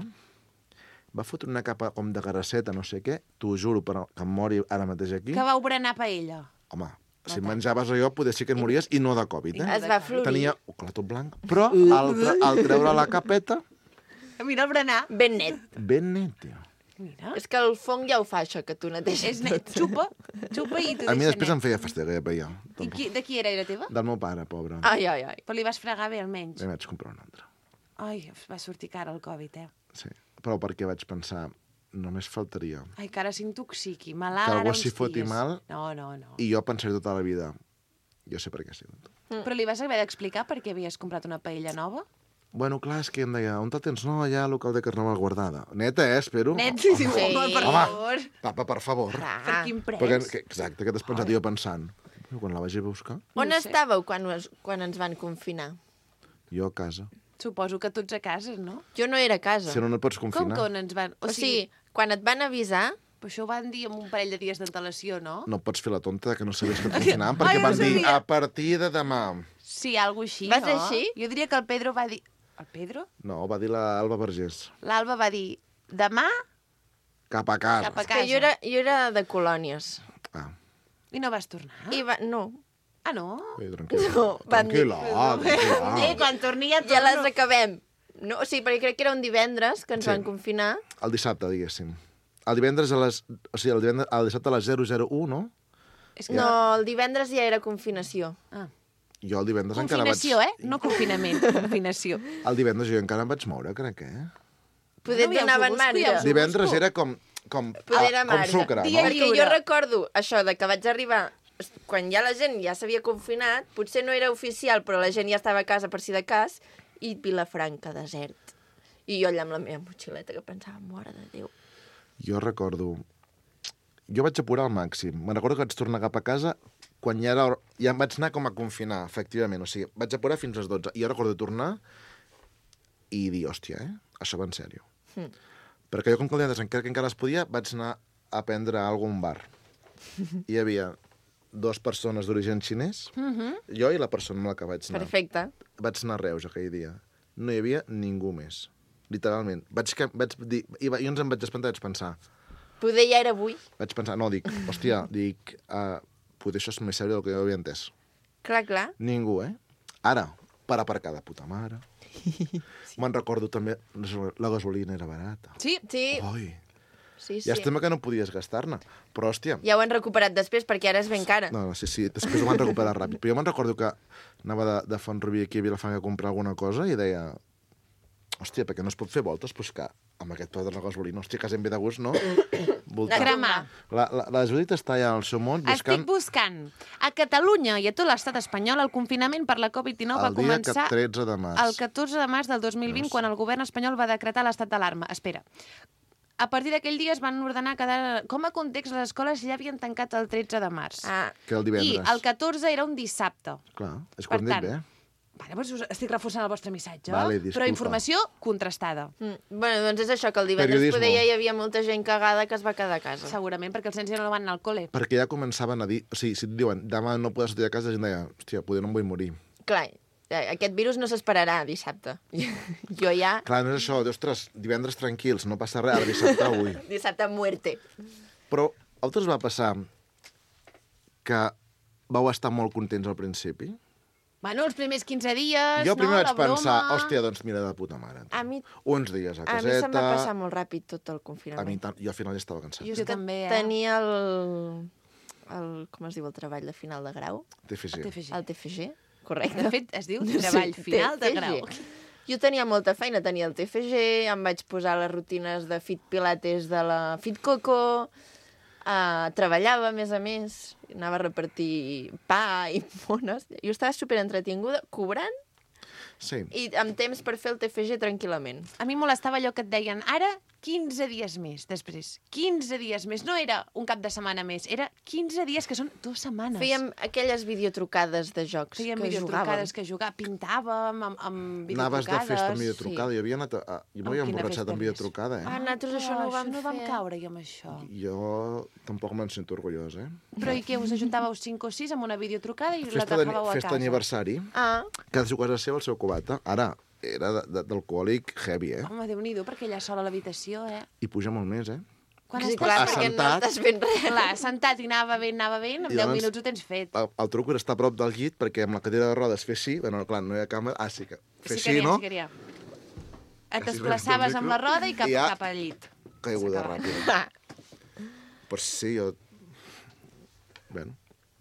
va fotre una capa com de grasseta, no sé què, t'ho juro, però que em mori ara mateix aquí. Que vau berenar paella. Home, si menjaves allò, poder sí que et mories i no de Covid, eh? Es va florir. Tenia un clar tot blanc, però al treure la capeta, Mira el berenar. Ben net. ben net, tio. Mira. És que el fong ja ho fa, això, que tu neteges És net. Xupa i t'ho A mi deixa després net. em feia fàstic aquella paella. De qui era teva? Del meu pare, pobre. Ai, ai, ai. Però li vas fregar bé, almenys. I vaig comprar una altra. Ai, va sortir cara el Covid, Sí, però perquè vaig pensar, només faltaria. Ai, que ara s'intoxiqui. Malalt, Que algú ara uns s'hi foti dies. mal. No. I jo pensaré tota la vida, jo sé per què ha sigut. Però li vas haver d'explicar per què havies comprat una paella nova? Bueno, clar, és que em deia, on te tens? No, allà al local de Carnaval guardada. Neta, espero. Net, sí, Sí. home, per Home. favor. Papa, per favor. Per quin pres? Perquè, exacte, que t'has pensat jo pensant. Quan la vagi a buscar, On No sé. estàveu quan ens van confinar? jo a casa. Suposo que tots a casa, no? Jo no era a casa. Si no, no et pots Com confinar. que on ens van... O sigui, quan et van avisar, Però això ho van dir amb un parell de dies d'antelació, no? No pots fer la tonta que no sabies que et confinaven, perquè Ai, no van dir, sabia. a partir de demà. Sí, alguna així, Va no? ser així? Jo diria que el Pedro va dir... El Pedro? No, va dir l'Alba Vergés. L'Alba va dir, demà Cap a casa. cap a és que casa. jo era de colònies. Ah, I no vas tornar? I no, Ah, no? tranquil·la. No, van dir- Tranquil·la. Quan torni ja ja les acabem. No, o sigui, perquè crec que era un divendres que ens Sí. van confinar. El dissabte, diguéssim. El divendres a les... O sigui, el dissabte a les 001, no? És que... No, el divendres ja era confinació. Ah. Jo el divendres encara vaig... Confinació, No confinament, confinació. El divendres jo encara em vaig moure, crec, eh? Poder No, ja et us ho donaven busco, marge. ja us ho Divendres busco. era com Poder era com marge. sucre, Dia no? lliure. Perquè jo recordo això de que vaig arribar quan ja la gent ja s'havia confinat, potser no era oficial, però la gent ja estava a casa per si de cas, i Vilafranca, desert. I jo allà amb la meva motxileta que pensava, mare de Déu. Jo recordo... Jo vaig apurar al màxim. Me'n recordo que vaig tornar cap a casa quan ja em vaig anar com a confinar, efectivament. O sigui, vaig apurar fins a les 12. I jo recordo tornar i dir, hòstia, això va en sèrio. Perquè jo, com que el divendres encara es podia, vaig anar a prendre alguna a un bar. I hi havia 2 persones d'origen xinès, jo i la persona amb la que vaig anar. Perfecte. Vaig anar a Reus aquell dia. No hi havia ningú més. Literalment. Vaig dir... I jo ens em vaig espantar, vaig pensar... Poder ja era avui. Vaig pensar, no, dic, hòstia, potser això és més sèrio del que jo havia entès. Clar, clar. Ningú, eh? Ara, per aparcar de puta mare. Me'n recordo també, la gasolina era barata. Sí, Sí, Oi, sí, sí. ja estem que no podies gastar-ne. Però, hòstia... Ja ho han recuperat després, perquè ara és ben cara. No, sí, després ho van recuperar ràpid. Però jo me'n recordo que anava de Font-rubí aquí a Vilafranca a comprar alguna cosa i deia, hòstia, perquè no es pot fer voltes? Doncs que amb aquest preu de la gasolina, hòstia, quasi em ve de gust, no? Voltar. cremar. La Judit està allà al seu món buscant Estic buscant. A Catalunya i a tot l'estat espanyol el confinament per la Covid-19 va el dia començar 13 de març. el 14 de març del 2020, quan el govern espanyol va decretar l'estat d'alarma. Espera. A partir d'aquell dia es van ordenar quedar... Com a context, les escoles ja havien tancat el 13 de març. Ah, Que el I divendres. el 14 era un dissabte. Clar, és Per quan dit tant, bé. Vale, doncs estic reforçant el vostre missatge, Vale, però disculpa. informació contrastada. bueno, doncs és això, que el divendres Periodismo. poder ja hi havia molta gent cagada que es va quedar a casa. Segurament, perquè els nens ja no van anar al col·le. Perquè ja començaven a dir... O sigui, si et diuen, demà no podràs sortir de casa, la gent deia, hòstia, poder no em vull morir. Clar, aquest virus no s'esperarà dissabte. Jo ja... Clar, no és això, ostres, divendres tranquils, no passa res, ara dissabte avui. Dissabte muerte. Però a vosaltres va passar que vau estar molt contents al principi? Bueno, els primers 15 dies, Jo primer no? vaig La broma... pensar, hòstia, doncs mira de puta mare. A mi, Uns dies a a mi se'm va caseta... passar molt ràpid tot el A mi confinament. tant, jo al final ja estava cansat. Jo Jo també, tenia com es diu, el treball de final de grau? TFG. TFG. El TFG, correcte. De fet, es diu treball final de TFG. grau. Jo tenia molta feina, tenia el TFG, em vaig posar les rutines de Fit Pilates de la Fit Coco, treballava, a més, anava a repartir pa i mones. Jo estava superentretinguda, cobrant Sí. i amb temps per fer el TFG tranquil·lament. A mi em molestava allò que et deien, ara 15 dies més, després. 15 dies més. No era un cap de setmana més, era 15 dies, que són 2 setmanes. Fèiem aquelles videotrucades de jocs Fèiem que videotrucades, jugàvem. que jugàvem, pintàvem amb videotrucades. Anaves de festa amb videotrucada. sí. Jo havia anat jo m'havia Amb quina emborratxat festa amb més? videotrucada, Ah, eh? nosaltres això no ho vam no vam fer. caure jo amb això. Jo tampoc me'n sento orgullós, eh? Però i què, us ajuntàveu 5 o 6 amb una videotrucada i la Festa agafàveu a casa? d'aniversari, Ah, cadascú a casa seva el seu cubata. Ara, era d'alcohòlic heavy, eh? Home, Déu-n'hi-do, perquè ella sola a l'habitació, eh? I puja molt més, eh? Quan sí, estàs clar, perquè no assentat. estàs fent res. Clar, sentat i anava bé, amb I 10 llavors- minuts ho tens fet. El truc era estar a prop del llit, perquè amb la cadira de rodes fer així, bueno, clar, no hi ha càmera, sí que fer Sí que així, n'hi ha, no? sí que n'hi ha. Et Així desplaçaves veus el amb la micro roda i cap, i ja- cap al llit. Caiguda S'acaba. ràpida. Pues sí, jo... Bueno,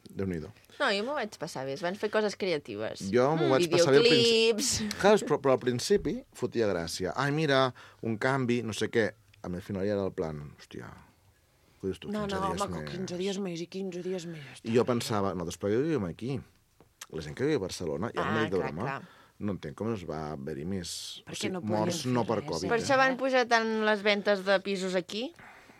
Déu-n'hi-do. No, jo m'ho vaig passar bé. Es van fer coses creatives. Jo m'ho vaig passar bé al principi. Videoclips. Clar, però al principi fotia gràcia. Ai, mira, un canvi, no sé què. A mi al final ja era el plan, hòstia, què dius tu, 15 No, dies home, més? 15 dies més i 15 dies més. I jo pensava, no, després jo vivim aquí. La gent que viu a Barcelona, ja no dic de clar, broma, clar. no entenc com es va haver-hi més... Perquè no podien morts fer no per res, Covid. eh? Per Eh? això van pujar tant les ventes de pisos aquí,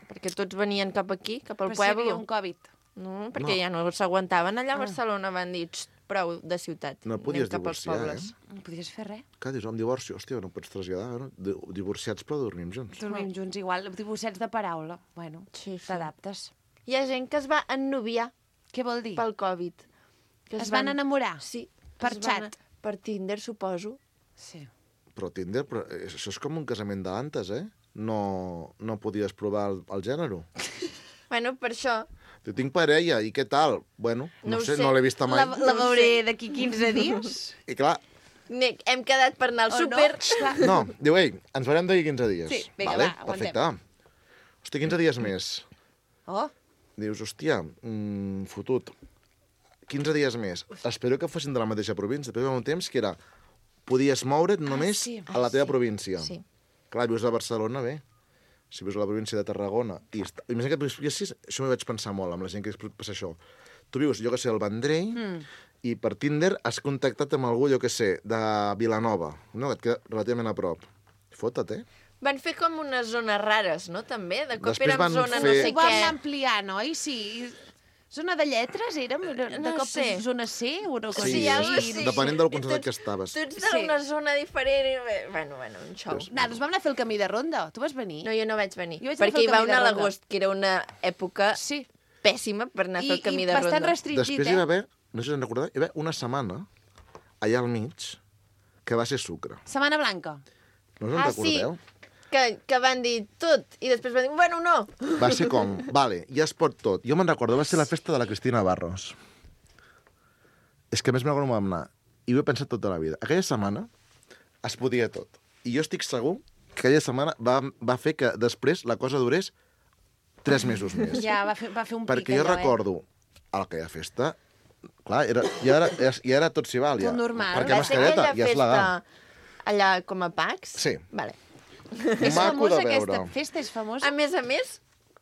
perquè tots venien cap aquí, cap al Però si hi havia poble. un Covid. No, perquè No. ja no s'aguantaven allà a Barcelona, van dir, "Xt, prou de ciutat, No anem podies cap als divorciar, pobles. No podies fer res. Clar, dius, divorci, hòstia, no pots traslladar, no? Divorciats però dormim junts. Dormim junts igual, divorciats de paraula. Bueno, Sí, sí. t'adaptes. Hi ha gent que es va ennoviar Què vol dir? pel Covid. Que Es van enamorar? Sí. Per es van- xat? Per Tinder, suposo. Sí. Però Tinder, això és com un casament d'antes, eh? No podies provar el gènere. Bueno, per això. Jo tinc parella, i què tal? Bueno, No no ho sé, sé. no l'he vista mai. La veuré d'aquí 15 dies? I clar, Hem quedat per anar al O no? súper. Clar. no, diu, ei, ens veurem d'aquí 15 dies. Sí, vinga, vale, va, aguantem. perfecte. Hòstia, 15 dies més. Oh, Dius, hòstia, fotut. 15 dies més. Espero que fossin de la mateixa província. Però hi va un temps que era... Podies moure't només sí. a la teva província. Sí. Clar, vius a Barcelona, bé. Si vius a la província de Tarragona... Imagina que això m'hi vaig pensar molt, amb la gent que passa això. Tu vius, jo que sé, al Vendrell, i per Tinder has contactat amb algú, jo que sé, de Vilanova, no? Et queda relativament a prop. Fota't, eh? Van fer com unes zones rares, no? També. De cop Després érem van zona no fer- sé ho vam què. anar ampliant, oi? Sí. Zona de lletres, érem? De No cop sé. zona C o una cosa Sí, així? algo és, així. depenent del concert Tots- que estaves. Tots Sí. d'una zona diferent. Bueno, un xou. Nosaltres vam anar a fer el camí de ronda. Tu vas venir? No, jo no vaig venir. Jo vaig anar a fer perquè hi el va camí de una a ronda. l'agost, que era una època Sí. pèssima per anar a fer el camí de bastant ronda. restringit, Després hi va eh? haver, no sé si en recordeu, hi va haver una setmana, allà al mig, que va ser sucre. Setmana Blanca. No us en Ah, sí. recordeu? Que van dir tot, i després van dir, bueno, no. Va ser com, vale, ja es pot tot. Jo me'n recordo, va ser la festa de la Cristina Barros. És que a més me'n recordo vam anar. I ho he pensat tota la vida. Aquella setmana es podia tot. I jo estic segur que aquella setmana va fer que després la cosa durés 3 mesos més. Ja, va fer un pic Perquè jo allò, recordo a aquella festa, clar, ja era tot s'hi val. Ja. Tot normal. Perquè Va ser mascareta aquella ja és legal. festa allà com a Pax? Sí. Vale. És Maco famosa de veure. aquesta festa, és famosa? A més,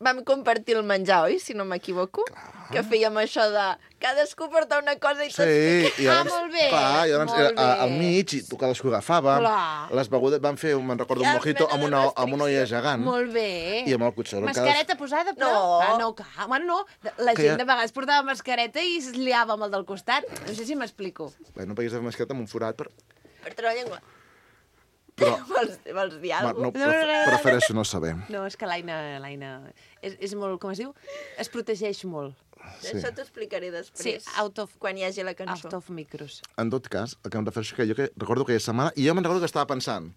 vam compartir el menjar, oi? Si no m'equivoco. Que fèiem això de cadascú porta una cosa i tots... Sí, i llavors, molt bé, clar, i llavors molt era al bé. mig i tu cadascú agafava. Clar. Les begudes van fer, me'n recordo, un Ja, mojito mena amb de una olla restricció. gegant. Molt bé. I amb el cotxero. Mascareta posada, però... No. Ah, no, clar. Bueno, no. La Que gent ja- de vegades portava mascareta i es liava amb el del costat. No sé si m'explico. Bé, no peguis de mascareta amb un forat, Per treure la llengua. però Vols dir alguna cosa? prefereixo no saber. No, és que l'Aina és molt, com es diu? Es protegeix molt. Sí. Això t'ho explicaré després. Sí, out of- Quan hi hagi la cançó. Out of micros. En tot cas, el que em refereixo és que jo recordo aquella setmana, i jo me'n recordo que estava pensant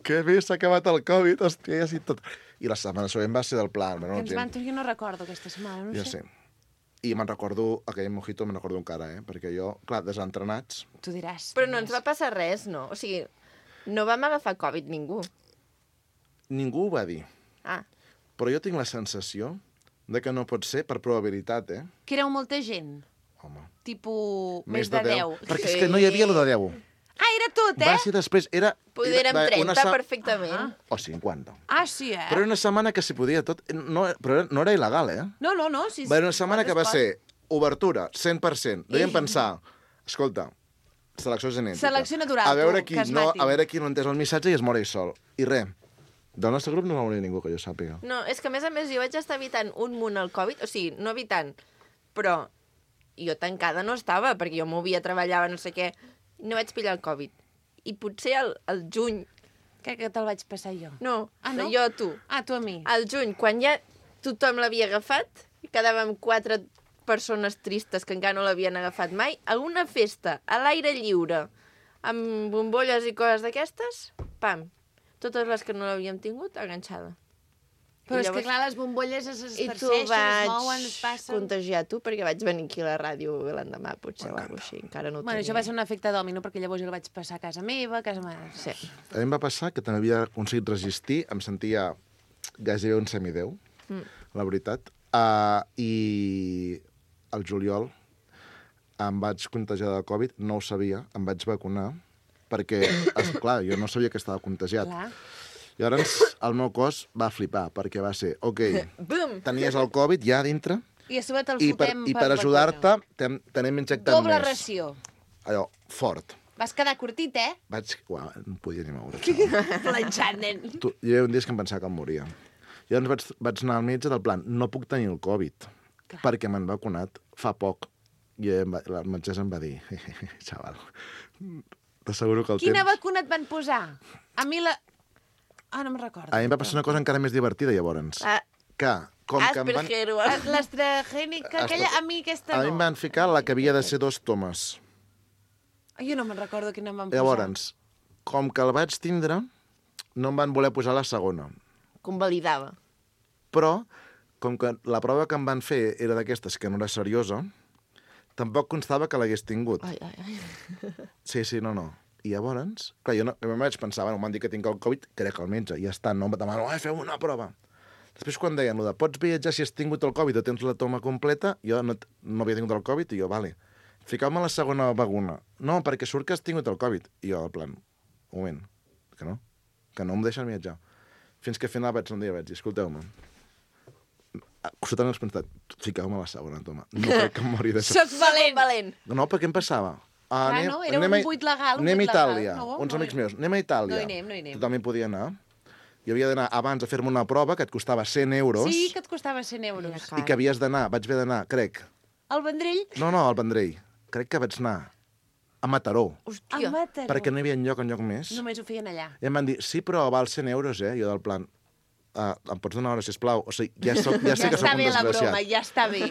que bé s'ha acabat el Covid, hòstia, ja sí tot. I la setmana següent va ser del plan. Bueno, Que ens van... Jo no recordo aquesta setmana, no Ja sé. sé. I me'n recordo, aquell mojito me'n recordo encara, perquè jo, clar, desentrenats... Tu diràs. Però no ens va passar res, no? O sigui, no vam agafar Covid ningú. Ningú ho va dir. Ah, Però jo tinc la sensació de que no pot ser per probabilitat, Que éreu molta gent. Home. Tipus més de 10. Perquè és que no hi havia lo de 10. Ah, era tot, Va ser després, era... poder érem era 30 perfectament. O 50. Ah, sí, Però era una setmana que s'hi podia tot... No, però no era il·legal, No, sí. Va ser una setmana que va ser obertura, 100%. Devíem pensar, escolta, selecció genètica. Selecció natural, a veure tu, qui que es no, matin. a veure qui no entès el missatge i es mori sol. I res, del nostre grup no va morir ningú, que jo sàpiga. No, és que a més jo vaig estar evitant un munt el Covid, o sigui, no evitant, però jo tancada no estava, perquè jo movia, treballava, no sé què, no vaig pillar el Covid. I potser al juny... Que te'l vaig passar jo. No, no? jo a tu. Ah, tu a mi. Al juny, quan ja tothom l'havia agafat, i quedàvem 4 persones tristes que encara no l'havien agafat mai, a una festa, a l'aire lliure, amb bombolles i coses d'aquestes, pam, totes les que no l'havíem tingut, enganxada. Però I és que, llavors- clar, les bombolles es I tu esparceixen, es vaig mouen, es passen... contagiar tu perquè vaig venir aquí a la ràdio l'endemà, potser, o alguna així, encara no ho Bueno, tenia. això va ser un efecte dòmino, perquè llavors jo el vaig passar a casa meva, a casa meva... Sí. A mi em va passar que també havia aconseguit resistir, em sentia gairebé un semideu, la veritat, i al juliol em vaig contagiar de Covid, no ho sabia, em vaig vacunar, perquè, clar, jo no sabia que estava contagiat. Clar. Llavors, el meu cos va flipar, perquè va ser, ok, Bum! tenies el Covid ja a dintre, I a sobre te'l i per fotem ajudar-te t'anem injectant Doble més. ració. Allò, fort. Vas quedar curtit, Vaig... Uau, no podia ni moure. Planxant, nen. Hi havia un dia que em pensava que em moria. Llavors vaig anar al metge del plan, no puc tenir el Covid, perquè m'han vacunat fa poc. I la metgessa em va dir, xaval, t'asseguro que el Quina temps... vacuna et van posar? A mi la... Ah, no me'n recordo. A mi em va passar una cosa encara més divertida, llavors. Ah, Que, com que em van... Asperger. L'AstraZeneca, aquella, a mi aquesta A no. mi em van ficar la que havia de ser 2 tomes. Jo no me'n recordo quina em van posar. Llavors, com que el vaig tindre, no em van voler posar la segona. Convalidava. Però, com que la prova que em van fer era d'aquestes que no era seriosa, tampoc constava que l'hagués tingut. Ai, ai, ai. Sí, no. I llavors, clar, jo no, em vaig pensar, bueno, m'han dit que tinc el Covid, crec al metge, ja està, no em demano, feu una prova. Després, quan deien, pots viatjar si has tingut el Covid o tens la toma completa, jo no havia tingut el Covid, i jo, vale, ficau-me la segona vacuna. No, perquè surt que has tingut el Covid. I jo, en plan, un moment, que no em deixen viatjar. Fins que al final un dia vaig dir, escolteu-me, absolutament espantat, ficau-me la segona toma. No crec que em mori d'això. Soc valent. No, perquè em passava? No, era un buit legal, Anem a Itàlia, no, uns no amics meus, anem a Itàlia. No hi anem. Tothom hi podia anar. I havia d'anar abans a fer-me una prova que et costava 100 euros Sí, que et costava 100 euros. i que havies d'anar, vaig haver d'anar, crec... El Vendrell? No, al Vendrell. Crec que vaig anar a Mataró, Hòstia. A Mataró. perquè no hi havia enlloc més. Només ho feien allà. I em van dir, sí, però val 100 euros, Jo del plan, em pots donar hora, sisplau? O sigui, ja sé que soc està un bé la desgraciat. broma, ja està bé.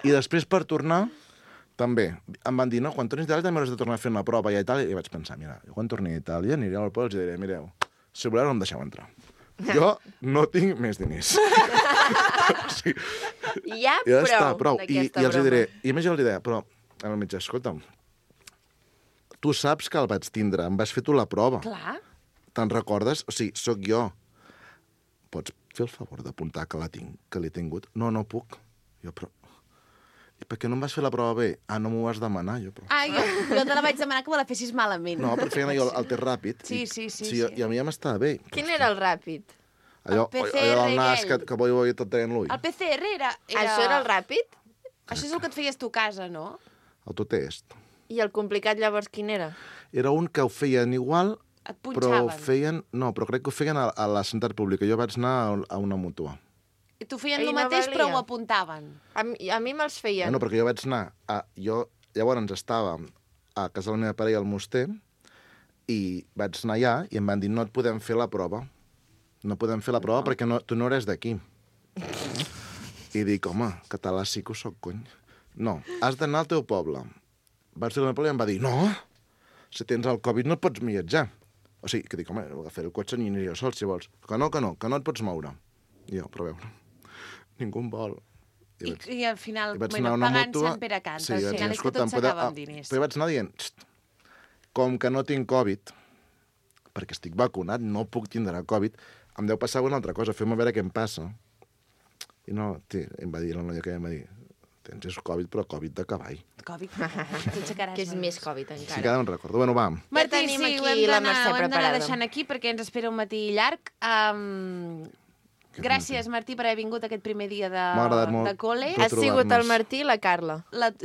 I després, per tornar, també, em van dir, no, quan tornis d'Itàlia també hauràs de tornar a fer una prova a Itàlia. I vaig pensar, mira, jo quan torni a Itàlia aniré al poble i els diré, mireu, si voleu no em deixeu entrar. Jo no tinc més diners. Sí. Ja, Ja està, prou. I d'aquesta els broma. diré, i a més jo els diré, però, al metge, escolta'm, tu saps que el vaig tindre, em vas fer tu la prova. Clar. Te'n recordes? O sigui, sóc jo. Pots fer el favor d'apuntar que l'he tingut? No puc. Jo, però... I per què no em vas fer la prova bé? No m'ho vas demanar, jo, però... Jo te la vaig demanar que me la fessis malament. No, però feien jo el test ràpid. Sí. I a mi ja m'estava bé. Quin era el ràpid? Allò El PCR del nas aquell. que vull tot tenint l'ull. El PCR era... Això era el ràpid? Això és el que et feies tu a casa, no? Autotest. I el complicat llavors quin era? Era un que ho feien igual, Et però punxaven. ho feien... No, però crec que ho feien a la sanitat pública. Jo vaig anar a una mútua. I t'ho feien I el no mateix, valia. però ho apuntaven. A mi me'ls feien. No, perquè jo vaig anar... Jo llavors estava a casa de la meva parella al Moster i vaig anar allà i em van dir no et podem fer la prova. No podem fer la prova perquè tu no eres d'aquí. I dic, home, català sí que ho soc, cony. No, has d'anar al teu poble. Vaig dir al meu poble i em va dir, no, si tens el Covid no pots viatjar. O sigui, que dic, home, agafaré el cotxe i aniré jo sol, si vols. Que no et pots moure. I jo, però a veure, ningú em vol. I al final, vaig bueno, anar a una pagant mútua. Sant Pere Canta. Sí, Al vaig final dir, és que tot s'acaba amb diners. Però vaig anar dient, com que no tinc Covid, perquè estic vacunat, no puc tindre Covid, em deu passar una altra cosa, fem a veure què em passa. I no, em va dir la noia que em va dir, tens Covid, però Covid de cavall. Covid, sense caràs. Que és més Covid encara. Sí que ara me'n recordo. Bueno, va. Martí, tenim sí, aquí ho hem la d'anar Mercè preparada. deixant aquí perquè ens espera un matí llarg. Gràcies, Martí, per haver vingut aquest primer dia M'ha agradat molt de col·le. de Ha sigut el trobar-nos. Martí i la Carla.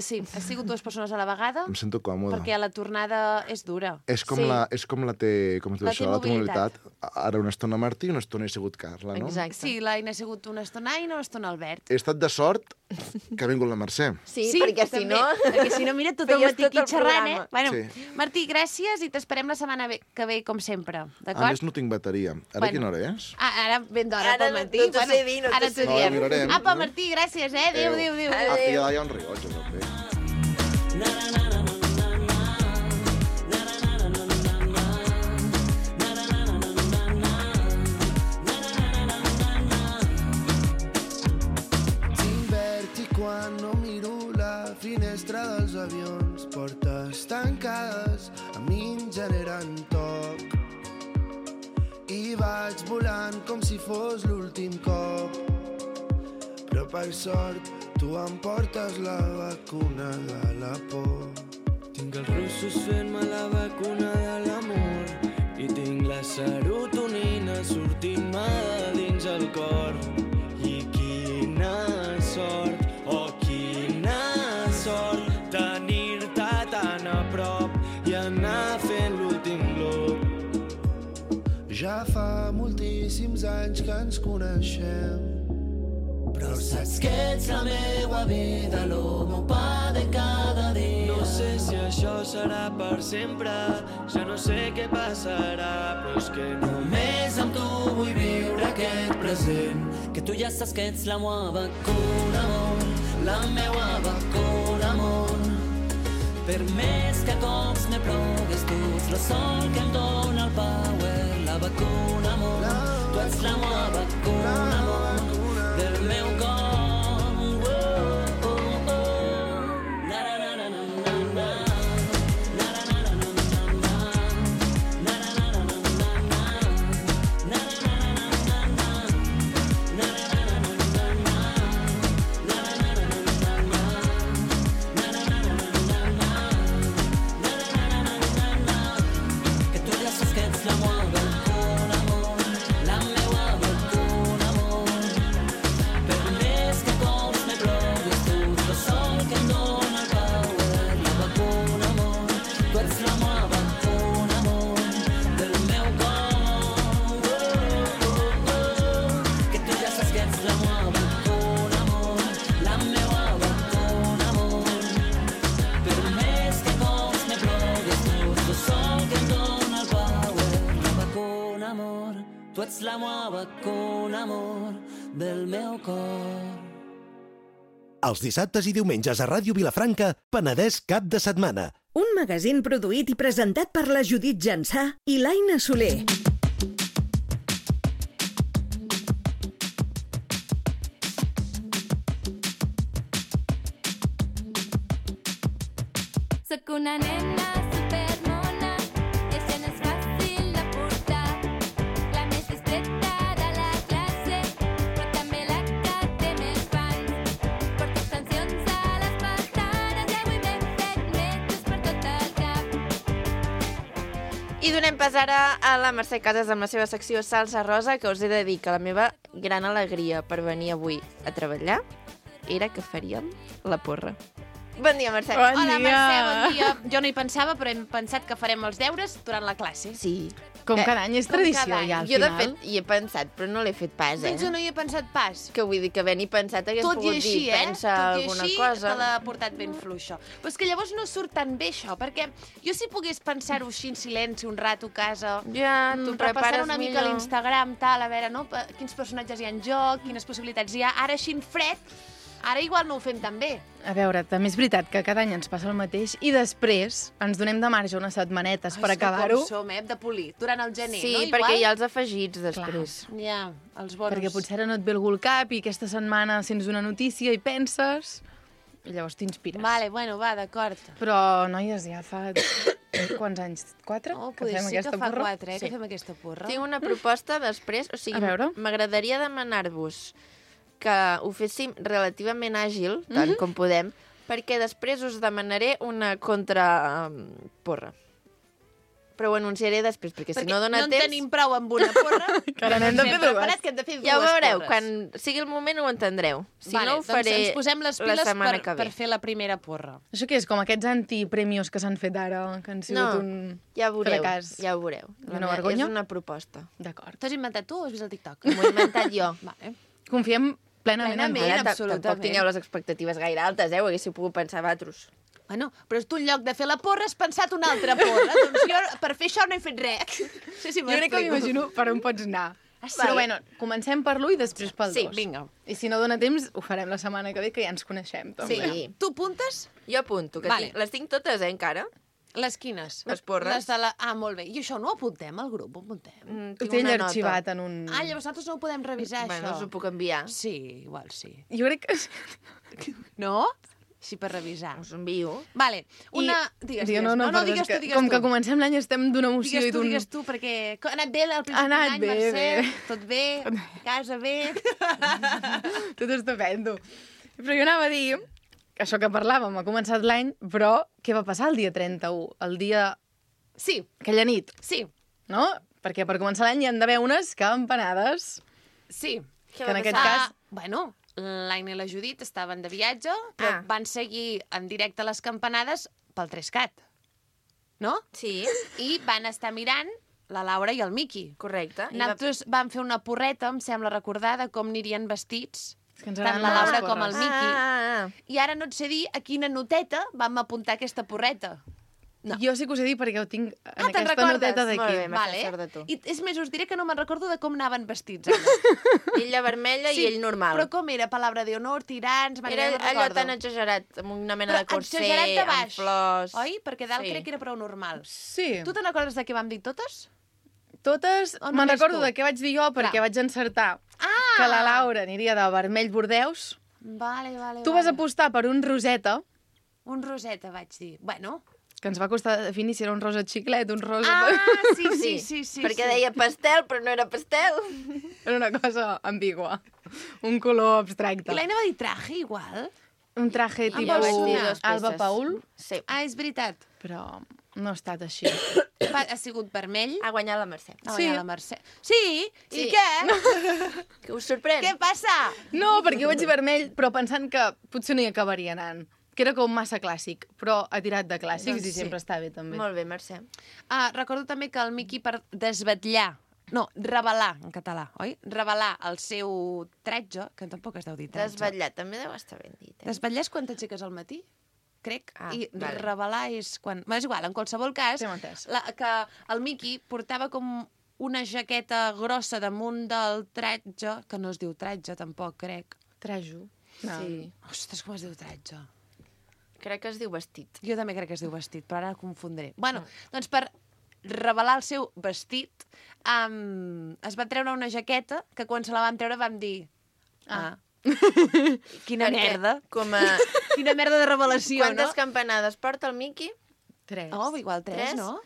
Sí, ha sigut dues persones a la vegada, Em sento còmode. perquè la tornada és dura. És com Sí. la T, com es diu La això, la T-mobilitat. T-mobilitat. Ara una estona Martí i una estona he sigut Carla, no? Exacte. Sí, l'Aina ha sigut una estona Aina, una estona Albert. He estat de sort que ha vingut la Mercè. Sí, perquè si també, no... Perquè si no, mira, tot el feies matí tot aquí el xerrant, programa. Bueno, Sí. Martí, gràcies i t'esperem la setmana que ve, com sempre, A d'acord? més, no tinc bateria. Ara Bueno. quina hora és? Ara ben d'hora Ara pel no matí. t'ho sé dir, no ara t'ho sé t'ho dir. diem. No, mirarem, Apa, no? Martí, gràcies, Adéu, adéu, adéu. Aquí hi ha un rellotge, també. T'inverti quan no miro la finestra dels avions. Portes tancades a mi em generen toc. I vaig volant com si fos l'últim cop. Però per sort tu em portes la vacuna de la por. Tinc els russos fent-me la vacuna de l'amor i tinc la serotonina sortint-me de dins el cor. I quina sort, oh quina sort, tenir-te tan a prop i anar fent l'últim glob. Ja fa moltíssims anys que ens coneixem, però saps que ets la meua vida, lo meu pa de cada dia. No sé si això serà per sempre, ja no sé què passarà, però és que només amb tu vull viure aquest present. Que tu ja saps que ets la meua vacuna, amor, la meua vacuna, amor. Per més que cops me plogues, tu ets el sol que em dóna el power, la vacuna, amor. Tu ets la meua vacuna, amor, del meu cor. Que tu ja saps que ets la meua vacuna, amor, la meua vacuna, amor. Per més que cops me plogues, tu ets el sol que em dóna el power, la vacuna, amor. Tu ets la meua vacuna, amor, del meu cor. Que tu ja saps que ets la meua vacuna, amor, la meua vacuna, amor. Per més que cops me plogues, tu ets el sol que em dóna el power, la vacuna, amor. Tu ets la meua vacuna, amor, del meu cor. Els dissabtes i diumenges a Ràdio Vilafranca, Penedès cap de setmana. Un magazín produït i presentat per la Judit Jansà i l'Aina Soler. Soc una nena supermona, i això no és fàcil de portar. La més discreta de la classe, però també la que té més fans. Porto extensions a les pestanes i avui m'he fet metres per tot el cap. I donem pas ara a la Mercè Casas amb la seva secció Salsa Rosa, que us he de dir que la meva gran alegria per venir avui a treballar era que faríem la porra. Bon dia, Mercè. Hola, Mercè, bon dia. Jo no hi pensava, però hem pensat que farem els deures durant la classe. Sí. Com cada any és com tradició, cada any. ja, al Jo, de final. fet, hi he pensat, però no l'he fet pas, Doncs jo no hi he pensat pas. Que vull dir que ben-hi pensat hagués Tot i pogut així, dir, pensa Tot i alguna així, cosa. te l'ha portat ben fluixa. Però és que llavors no surt tan bé, això, perquè jo si pogués pensar-ho així en silenci un rato a casa, Ja, t'ho repassar prepares una mica a millor. l'Instagram, tal, a veure, no, quins personatges hi ha en joc, quines possibilitats hi ha, ara així en fred, Ara igual no ho fem tan bé. A veure, també és veritat que cada any ens passa el mateix i després ens donem de marge unes setmanetes per acabar-ho. Com som, hem de polir. Durant el gener, Sí, no? perquè Igual? hi ha els afegits després. Ja, els bonus. Perquè potser ara no et ve algú al cap i aquesta setmana sents una notícia i penses i llavors t'inspires. Vale, bueno, va, d'acord. Però, noies, ja fa... Quants anys? 4? Oh, que poder fem sí aquesta que fa porra? 4, que fem aquesta porra. Tinc una proposta després, o sigui, A veure. m'agradaria demanar-vos que ho féssim relativament àgil, tant com podem, perquè després us demanaré una contraporra. Però ho anunciaré després, perquè si no dona no en temps... tenim prou amb una porra. Que ara n'hem de fer Hem dues. preparat que hem de fer dues Ja ho veureu, porres. quan sigui el moment ho entendreu. Si vale, no, ho faré doncs ens posem les piles la setmana que ve. per fer la primera porra. Això què és? Com aquests antipremios que s'han fet ara, que han sigut No, un ja ho veureu, fracàs. ja ho veureu. Una vergonya? És una proposta. D'acord. T'ho has inventat tu o has vist el TikTok? M'ho he inventat jo. Vale. Confiem plenament en Plenament. tu. Ara absolutament. tampoc tingueu les expectatives gaire altes, ho haguéssiu pogut pensar vosaltres. Bueno, però tu en lloc de fer la porra has pensat una altra porra. Doncs jo per fer això no he fet res. No sé si Jo crec que m'imagino per on pots anar. Però bueno, comencem per l'1 i després pel 2. Sí, vinga. I si no dona temps, ho farem la setmana que ve, que ja ens coneixem. També. Sí. Tu apuntes? Jo apunto, que Vale. les tinc totes, encara. Les quines? Les porres. Les de la... Ah, molt bé. I això no ho apuntem al grup? Ho apuntem? Ho Tinc té una ell nota. arxivat en un... Ah, llavors nosaltres no ho podem revisar, Bueno, us això. ho puc enviar. Sí, igual sí. Jo crec que... No? Sí, per revisar. Us ho envio. Vale, una... Digues, digues. No, no, perdó, digues és tu, que digues com tu. que comencem l'any estem d'una emoció i d'un... Digues tu, perquè ha anat bé al principi Ha anat d'any, bé, Mercè? bé. Tot bé? Casa bé? Tot estupendo. Però jo anava a dir que això que parlàvem, ha començat l'any, però què va passar el dia 31? El dia... Sí, Aquella nit, sí, no? Perquè per començar l'any hi han d'haver unes campanades. sí. Què Que en va aquest passar? cas- Bueno, l'Aina i la Judit estaven de viatge, però van seguir en directe les campanades pel 3CAT, no? Sí, I van estar mirant la Laura i el Miqui. correcte. I Nosaltres vam fer una porreta, em sembla recordar, de com anirien vestits, És que ens tant agraden la molt les Laura com porres. el Miqui. Ah. I ara no et sé dir a quina noteta vam apuntar aquesta porreta. No. Jo sí que us he dit perquè ho tinc en te'n aquesta recordes? noteta Molt d'aquí. bé. M'ha fet sort de tu. I és més, us diré que no me'n recordo de com anaven vestits. Ara. Ella vermella i ell normal. Però com era? Palabra de honor, tirants... Era no allò recordo. tan exagerat, amb una mena de Però corset, exagerat de amb baix, flors... Oi? Perquè dalt Sí. crec que era prou normal. Sí. Tu te'n recordes de què vam dir totes? Totes, O me'n només recordo tu? de què vaig dir jo perquè Clar. vaig encertar Ah! que la Laura aniria de vermell bordeus. Vale, vale, Tu vas apostar per un roseta, Un roseta, vaig dir. Bueno... que ens va costar definir si era un rosa xiclet, un rosa... Ah, sí. Perquè deia pastel, però no era pastel. Era una cosa ambigua. Un color abstracte. I l'Aina va dir traje, igual? Un traje Amb tipus els dos Alba peces. Paul, Sí. Ah, és veritat. però no ha estat així. Ha sigut vermell. Ha guanyat la Mercè. Ha Sí. guanyat la Mercè. Sí? I Sí. què? Que us sorprèn? Què passa? No, perquè jo vaig dir vermell, però pensant que potser no hi acabaria anant. Que era com massa clàssic, però ha tirat de clàssics Doncs i sempre està bé, també. Molt bé, Mercè. Ah, recordo també que el Miqui per desvetllar, no, revelar, en català, oi? Revelar el seu tratge, que tampoc es deu dir tratge. Desvetllat, també deu estar ben dit. Desvetllar és quan t'aixeques al matí, crec, Ah, i vale. revelar és quan... Bé, és igual, en qualsevol cas, Sí, m'ho he entès. que el Miqui portava com una jaqueta grossa damunt del tratge, que no es diu tratge, tampoc, crec. Trajo. No. Sí. Ostres, com es diu tratge? Crec que es diu vestit. Jo també crec que es diu vestit, però ara confondré. Bueno, doncs per revelar el seu vestit, es va treure una jaqueta que quan se la vam treure vam dir... Ah. Quina merda. Com a... Quina merda de revelació, Quantes no? campanades porta el Miqui? 3. Oh, igual 3, Tres? no?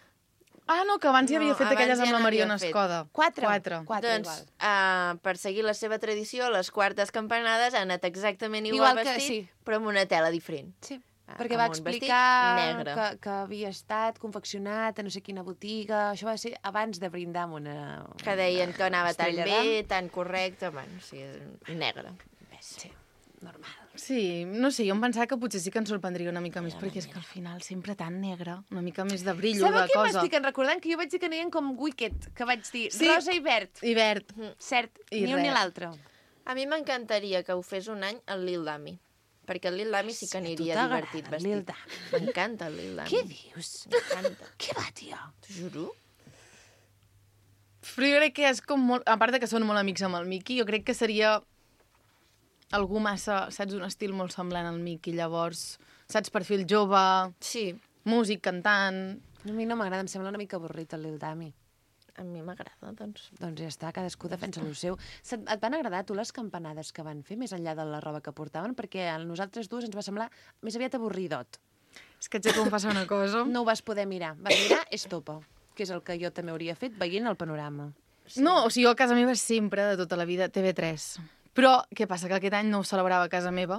Ah, no, que abans hi havia No, fet abans aquelles ja amb la n'havia Mariona fet. Escoda. 4. 4. 4 Doncs, igual. per seguir la seva tradició, les quartes campanades han anat exactament igual, Igual que- vestit, sí. però amb una tela diferent. Sí, Ah, perquè amb va un vestit explicar negre. que havia estat confeccionat a no sé quina botiga. Això va ser abans de brindar amb una... Que deien que anava tan estrella bé, tan correcte, bueno, sí, negre. Sí, normal. Sí, no sé, jo em pensava que potser sí que ens sorprendria una mica més, perquè és que al final sempre tan negre, una mica més de brillo, Sabeu de què cosa. m'estic recordant? Que jo vaig dir que anaven com Wicked, que vaig dir Sí. rosa i verd. I verd. Cert, I ni un ni res. l'altre. A mi m'encantaria que ho fes un any el Lil Dami, perquè el Lil Dami sí que aniria t'agrada divertit el vestit. Lil Dami? M'encanta el Lil Dami. Què dius? M'encanta. Què va, tia? T'ho juro. Però jo crec que és com molt... A part de que són molt amics amb el Miqui, jo crec que seria algú massa, saps, un estil molt semblant al Miqui, llavors, saps, perfil jove, Sí, músic, cantant... A mi no m'agrada, em sembla una mica avorrit el Lil Dami. a mi m'agrada, doncs. Doncs ja està, cadascú defensa el seu. Et van agradar tu les campanades que van fer, més enllà de la roba que portaven? Perquè a nosaltres dues ens va semblar més aviat avorridot. És que et sé confessar una cosa. No ho vas poder mirar. Vas mirar Estopa, que és el que jo també hauria fet veient el panorama. Sí. No, o sigui, jo a casa meva sempre, de tota la vida, TV3. Però què passa? Que aquest any no ho celebrava a casa meva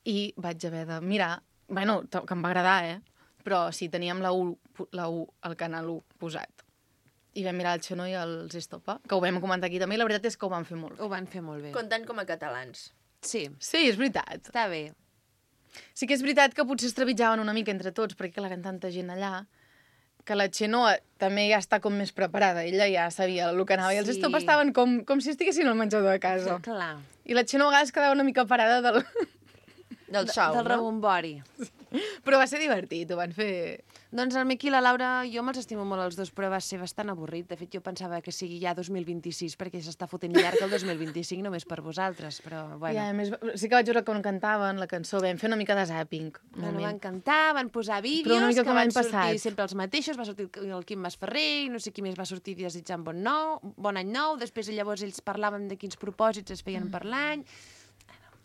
i vaig haver de mirar... Bueno, que em va agradar, però sí, teníem la U, el canal 1 posat. I vam mirar el Xenó i els Estopa, que ho vam comentar aquí també, i la veritat és que ho van fer molt bé. Ho van fer molt bé. Comptant com a catalans. Sí, Sí, és veritat. està bé. Sí que és veritat que potser es trepitjaven una mica entre tots, perquè clar, eren tanta gent allà, que la Xenoa també ja està com més preparada. Ella ja sabia el que anava. I els Sí. Estopa estaven com si estiguessin al menjador de casa. Clar. I la Xenoa a vegades quedava una mica parada del... Del xou, Del no? rebombori. Però va ser divertit, ho van fer... Doncs el Miqui i la Laura, jo me'ls estimo molt els dos, però va ser bastant avorrit. De fet, jo pensava que sigui ja 2026, perquè s'està fotent llarg el 2025 només per vosaltres, però bueno. Ja, a més, sí que vaig veure com cantaven la cançó, vam fer una mica de zapping. un Bueno, moment. van cantar, van posar Però vídeos, una mica que com van l'any sortir passat. sempre els mateixos, va sortir el Quim Masferrer, i no sé qui més va sortir desitjant bon any nou, després llavors ells parlaven de quins propòsits es feien per l'any,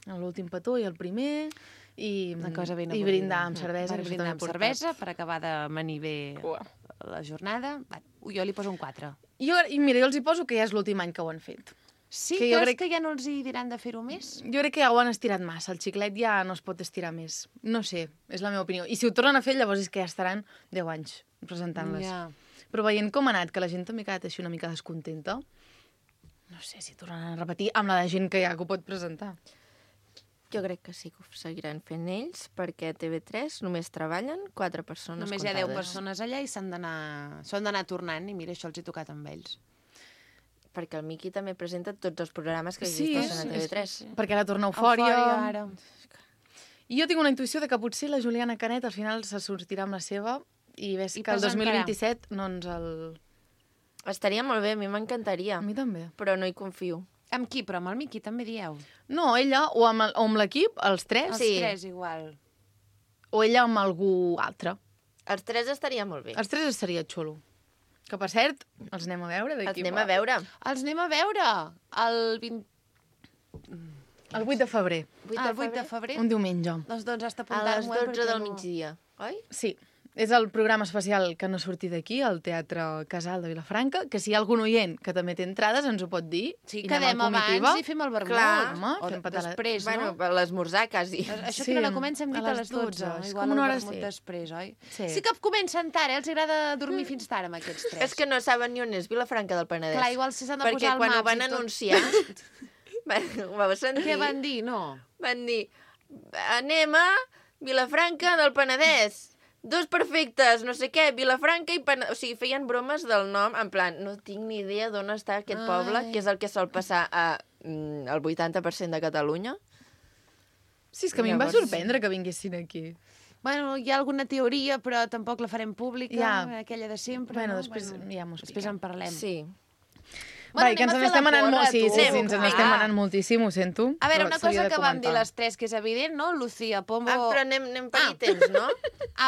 L'últim petó i el primer, i, una cosa ben i avorrida. brindar amb cervesa. Van que això brindar també amb porta. cervesa per acabar de manir bé Uah. la jornada. Va, jo li poso un 4. I mira, jo els hi poso que ja és l'últim any que ho han fet. Sí, Que jo creus crec- que ja no els hi diran de fer-ho més? Jo crec que ja ho han estirat massa, el xiclet ja no es pot estirar més. No sé, és la meva opinió. I si ho tornen a fer, llavors és que ja estaran 10 anys presentant-les. Ja. Però veient com ha anat, que la gent també ha quedat així una mica descontenta, no sé si tornaran a repetir amb la de gent que ja que ho pot presentar. Jo crec que sí que ho seguiran fent ells, perquè a TV3 només treballen 4 persones Només hi ha 10 comptades. persones allà i s'han d'anar tornant, i mira, això els hi tocat amb ells. Perquè el Miqui també presenta tots els programes que Sí, existeixen a TV3. Perquè ara torna Eufòria. ara. I jo tinc una intuïció de que potser la Juliana Canet al final se sortirà amb la seva i ves I que el presentarà. 2027 no ens el... Estaria molt bé, a mi m'encantaria, A mi també. però no hi confio. Amb qui? Però amb el Miqui també dieu. No, ella, o amb l'equip, els tres, Els Sí. 3 igual. o ella amb algú altre. Els 3 estaria molt bé. Els tres estaria xulo. Que, per cert, els anem a veure Els d'aquí anem a veure. Els anem a veure el 20... El 8 de febrer, el 8 de febrer. un diumenge. Doncs has A d'apuntar-m'ho. les 12 del migdia, oi? Sí, és el programa especial que no surti d'aquí, al Teatre Casal de Vilafranca, que si hi ha algun oient que també té entrades ens ho pot dir. Sí, i anem quedem en comitiva. abans i fem el vermut. Clar, home, o fem patar la- després, Bueno, no? per l'esmorzar, quasi. Això Sí, que no la comença hem dit a a les les 12. 12. És Igual com una el hora, vermut sí. després, oi? Sí. Sí que comencen tard, els agrada dormir fins tard amb aquests 3. És que no saben ni on és Vilafranca del Penedès. Clar, igual si s'han de Perquè posar al quan ho maps van i tot. anunciar, ho vau sentir? Què van dir? No. Van dir, anem a Vilafranca del Penedès. 2 perfectes, no sé què, Vilafranca i Penedès. O sigui, feien bromes del nom, en plan, no tinc ni idea d'on està aquest poble, Ai. que és el que sol passar al 80% de Catalunya. Sí, és que a mi em va Llavors- sorprendre que vinguessin aquí. Bueno, hi ha alguna teoria, però tampoc la farem pública, Ja. aquella de sempre. Bueno, no? després ja m'ho Després en parlem. Sí. Vai, que ens n'estem anant molt, sí, sí, tu. ens n'estem anant moltíssim, ho sento. A veure, però una s'havia cosa de que vam dir comentar. les 3, que és evident, no? Lucía, Pombo... Però anem per Ah. ítems, no?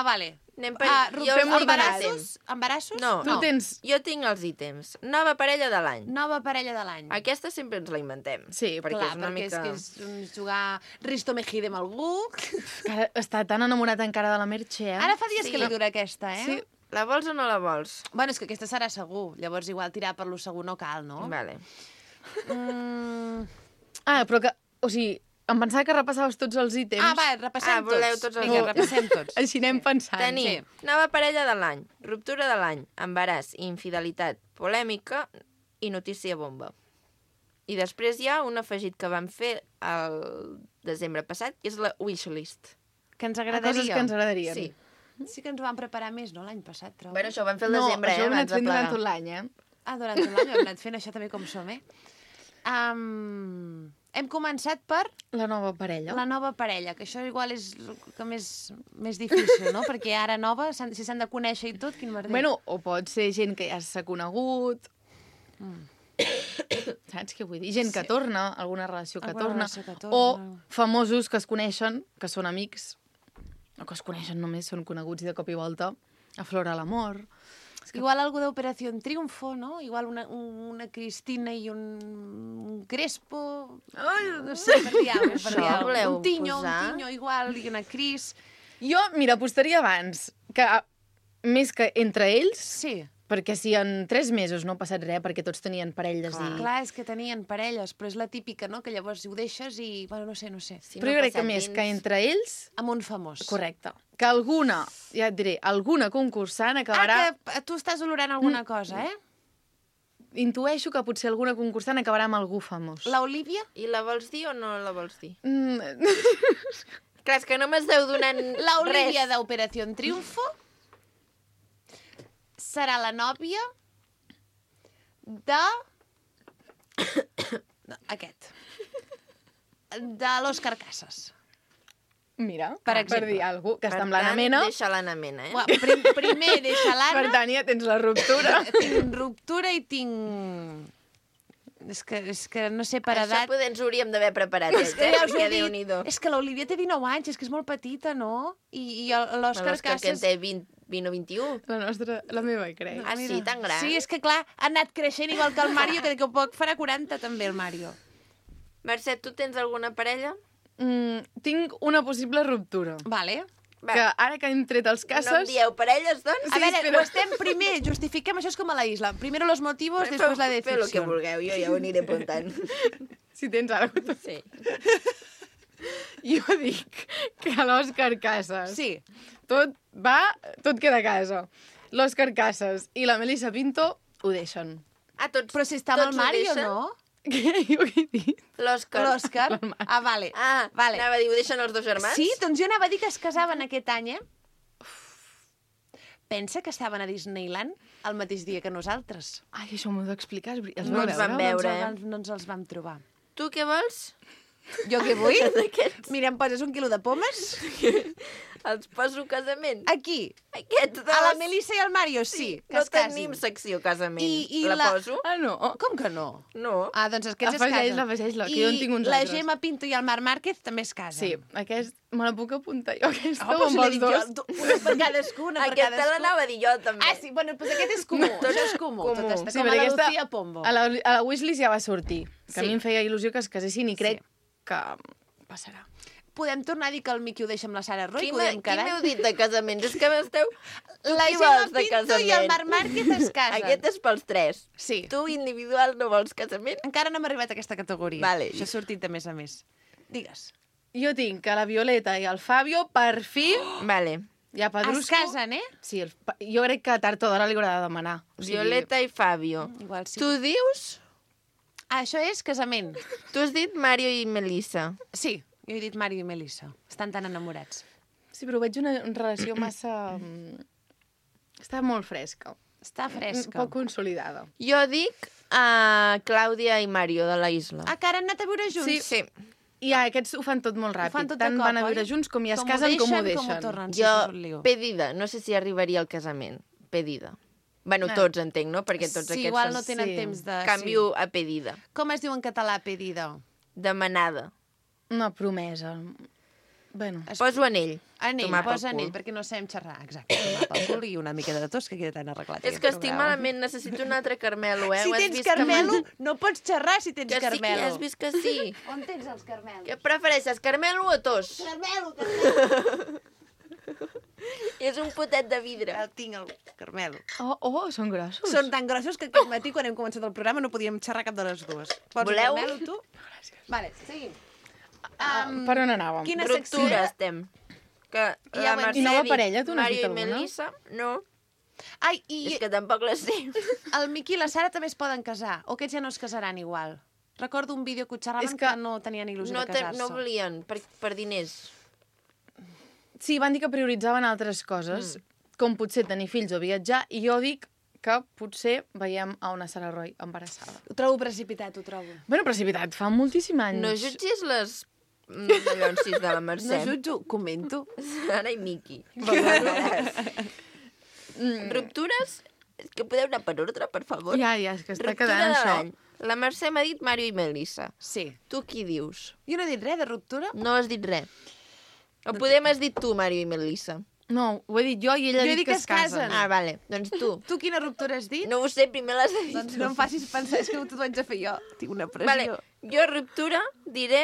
Vale. Anem per... Jo, fem embarassos? Embarassos? No, Tu tens... Jo tinc els ítems. Nova parella de l'any. Nova parella de l'any. Aquesta sempre ens la inventem. Sí, perquè Clar, és una perquè mica... és que és jugar Risto Mejide amb algú. Que ara està tan enamorat encara de la Merche, eh? Ara fa dies Sí. que li dura aquesta, eh? Sí. La vols o no la vols? Bueno, és que aquesta serà segur. Llavors, igual tirar per lo segur no cal, no? Vale. Ah, però que... O sigui, em pensava que repassaves tots els ítems. Ah, va, repassem tots. voleu tots els Vinga, ítems? repassem tots. Així anem pensant. Tenim nova parella de l'any, ruptura de l'any, embaràs, infidelitat, polèmica i notícia bomba. I després hi ha un afegit que vam fer el desembre passat, que és la wishlist. Que ens Coses agradaria. que ens agradarien. Sí. Sí que ens ho vam preparar més, no?, l'any passat, trobo. Bueno, això ho vam fer al No, desembre, això ho hem abans anat de fent durant plegar. tot l'any, eh? Ah, durant tot l'any ho hem anat fent això també com som, eh? Hem començat per La nova parella. la nova parella, que això igual és el que més difícil, no? Perquè ara nova, si s'han de conèixer i tot, quin merder. Bueno, o pot ser gent que ja s'ha conegut. Saps? Saps què vull dir? Gent que torna, alguna relació que Alguna torna, relació que o torna. famosos que es coneixen, que són amics, o que es coneixen només, són coneguts i de cop i volta aflora l'amor. Igual algú d'Operació Triunfo, no? Igual una Cristina i un Crespo... Ai, no sé, per dir alguna cosa. Això voleu Un Tinyo, posar? igual, i una Cris... Jo, mira, apostaria abans que, més que entre ells, Sí. perquè si en 3 mesos no ha passat res, perquè tots tenien parelles i... Clar, és que tenien parelles, però és la típica, no?, que llavors ho deixes i... Bueno, no sé. Si Però no jo crec ha que passat més dins- que entre ells... Amb un famós. Correcte. Que alguna, ja et diré, alguna concursant acabarà... Que tu estàs olorant alguna cosa, eh? Intueixo que potser alguna concursant acabarà amb algú famós. L'Olivia? I la vols dir o no la vols dir? Mm, Clar, és que no m'esteu donant L'Olivia res. d'Operació Triunfo serà la nòvia de... No, aquest. De l'Òscar Casas. mira, Per per exemple. dir alguna cosa, que Per està amb l'Anna tant, Mena. Deixa l'Anna Mena, Primer deixa Per l'Anna, tant, ja tens la ruptura. tinc ruptura i tinc... És que no sé per Això edat... poder ens ho hauríem d'haver preparat, Que ja us he perquè dit, Déu-n'hi-do. és que l'Olivia té 19 anys, és que és molt petita, no? I l'Òscar L'Òscar que en Casas... té 20 o 21. La meva, crec. Ah, sí, tan gran? Sí, és que clar, ha anat creixent igual que el Mario, que d'aquí a poc farà 40 també el Mario. Mercè, tu tens alguna parella? Tinc una possible ruptura. Vale. Va, Que ara que hem tret els no em cases... dieu parelles, doncs? A veure, espera. ho estem primer, justifiquem, això és com a la isla. Primero los motivos, después la Feu el que decepción. vulgueu, jo ja ho aniré apuntant. Si tens alguna Sí. Jo dic que l'Òscar Casas... Sí. Tot queda a casa. L'Òscar Casas i la Melissa Pinto ho deixen. Ah, tots, Però si està amb tots el ho Mario, deixen? no? Què? Jo què he dit? L'Òscar. L'Òscar? Ah, vale. Ah, vale. anava a dir, ho deixen els dos germans? Sí, doncs jo anava a dir que es casaven aquest any, eh? Pensa que estaven a Disneyland el mateix dia que nosaltres. Ai, això m'ho heu d'explicar. Els No vau ens vam veure? veure. No ens els vam trobar. Tu què vols? Jo què vull? D'aquests. Mira, em poses 1 quilo de pomes? Els poso casament. Aquí. Aquests dos. A la Melissa i al Mario, sí, que No es casin. tenim secció casament. I la la- poso? Ah, no. Com que no? No. Ah, doncs aquests es casen. Afegeix-la, que jo en tinc uns la altres. Gemma Pinto i el Marc Márquez també es casen. Sí, aquest me la puc apuntar jo, aquesta, Oh, però si amb l'he els dit dos. jo, una per cadascú, una per Aquesta cadascú. l'anava a dir jo, també. Ah, sí, bueno, doncs aquest és comú, això és comú. Comú. Tot està Sí, com a perquè la aquesta- Lucía Pombo. A la wishlist ja va sortir. Que Sí. a mi em feia il·lusió que es casessin i crec Sí. que passarà. Podem tornar a dir que el Miqui ho deixa amb la Sara Roy, Qui que ho hem m'heu quedat. dit de casaments? És que m'esteu... La qui Gemma vols de Pinto i el casament? Marc Márquez es casen. Aquest és pels tres. Sí. Tu individual no vols casament? Encara no hem arribat a aquesta categoria. Vale. Això ha sortit de més a més. Digues. Jo tinc que la Violeta i el Fabio, per fi, Vale. ja pedrusco... Es casen, eh? Sí, jo crec que tard o d'hora li haurà de demanar. O sigui, Violeta i Fabio. Igual sí. Tu dius... Ah, això és casament. Tu has dit Mario i Melissa. Sí, jo he dit Mario i Melissa. Estan tan enamorats. Sí, però veig una relació massa... Està molt fresca. Està fresca. Poc consolidada. Jo dic a Clàudia i Mario de la Isla. Ah, que ara han anat a viure junts? Sí. I aquests ho fan tot molt ràpid. fan tot de Tant cop, van a viure oi? junts com ja es Com ho casen com ho deixen, com ho deixen. tornen. Sí, Jo, això és un lío. pedida. No sé si arribaria al casament. Pedida. Bueno, Ah. tots entenc, no? Perquè tots Sí, aquests igual són... no tenen sí. temps de... Canvio a pedida. Sí. Com es diu en català, pedida? Demanada. Una promesa. Bueno, Poso anell. Anell, Tomar pel posa cul. anell, perquè no sabem xerrar. Exacte, tomar pel cul i una mica de tos, que queda tan arreglat. És aquest que estic programa. malament, necessito un altre Carmelo, eh? Si Ho has tens vist Carmelo, no pots xerrar si tens Que sí, que Carmelo. ja has vist que sí. On tens els Carmelos? Què prefereixes, Carmelo o tos? Carmelo, Carmelo. És un potet de vidre. El tinc, el Carmelo. són grossos. Són tan grossos que aquest matí, quan hem començat el programa, no podíem xerrar cap de les dues. Pots Voleu? el Carmelo, tu? Vale, seguim. Per on anàvem? Quina secció? Ruptura estem. Que I la ja ho hem Mercè dit. I nova ha dit parella, tu n'has Mario dit i alguna? Melissa, no. Ai, i És que tampoc la sé. el Miqui i la Sara també es poden casar. O aquests ja no es casaran igual. Recordo un vídeo que ho xerraven És que... que no tenien il·lusió No, de casar-se. no volien, per diners. Sí, van dir que prioritzaven altres coses, com potser tenir fills o viatjar, i jo dic que potser veiem a una Sara Roy embarassada. Ho trobo precipitat, ho trobo. Bueno, precipitat, fa moltíssim anys. No jutgis les llonsis de la No Mercè. jutjo, comento. Sara i Miqui. Ruptures? És que podeu anar per ordre, per favor? Ja, és que està Ruptura quedant de això. l'any. La Mercè m'ha dit Mario i Melissa. Sí. Tu qui dius? Jo no he dit res de ruptura? No has dit res. O poder m'has dit tu, Mario i Melissa. No, ho he dit jo i ella ha dit que es casen. Ah, vale. Doncs tu. Tu quina ruptura has dit? No ho sé, primer l'has de dir. Doncs no em facis pensar, és que t'ho haig de fer jo. Tinc una pressió. Vale. Jo, ruptura, diré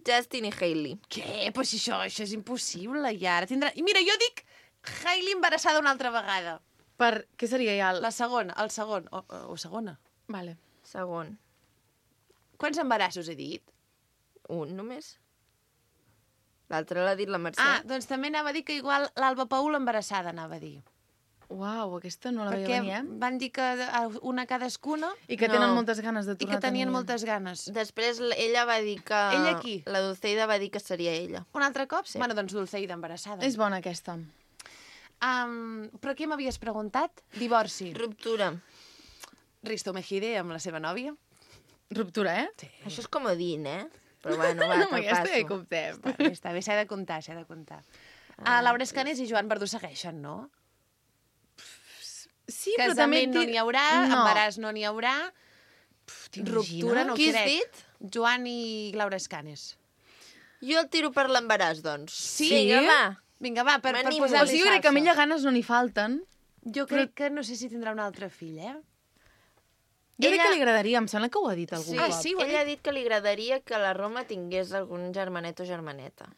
Justin i Hailey. Què? Però si això és impossible, ja. Ara tindrà... I mira, jo dic Hailey embarassada una altra vegada. Per... Què seria ja? La segona, el segon. O segona. Vale. Segon. Quants embarassos he dit? Un només. L'altre l'ha dit la Mercè. Ah, doncs també anava a dir que igual l'Alba Paul embarassada, anava a dir. Uau, aquesta no la veia Perquè venir, van dir que una cadascuna I que tenen moltes ganes de i tornar que tenien a tenir. moltes ganes. Després ella va dir que... Ella qui? La Dulceida va dir que seria ella. Un altre cop? Sí. Bueno, doncs Dulceida embarassada. És bona, aquesta. Però què m'havies preguntat? Divorci. Ruptura. Risto Mejide amb la seva nòvia. Ruptura, eh? Sí. Això és comodín, eh? Però bueno, va, Amb te'l aquesta ja hi passo. comptem. Està bé, s'ha de comptar, s'ha de comptar. Laura Escanes i Joan Verdú segueixen, no? Sí, però també... Casament no n'hi haurà, embaràs no n'hi haurà, ruptura no Qui has crec. dit? Joan i Laura Escanes. Jo el tiro per l'embaràs, doncs. Sí? Vinga, va. Vinga, va, per M'animo. O posar-li sigui, jo crec que a salsa. ella ganes no n'hi falten. Jo crec que no sé si tindrà un altre fill, eh? Jo crec Ella- que li agradaria, em sembla que ho ha dit algun Sí, cop. sí, ho ha ella ha dit que li agradaria que la Roma tingués algun germanet o germaneta.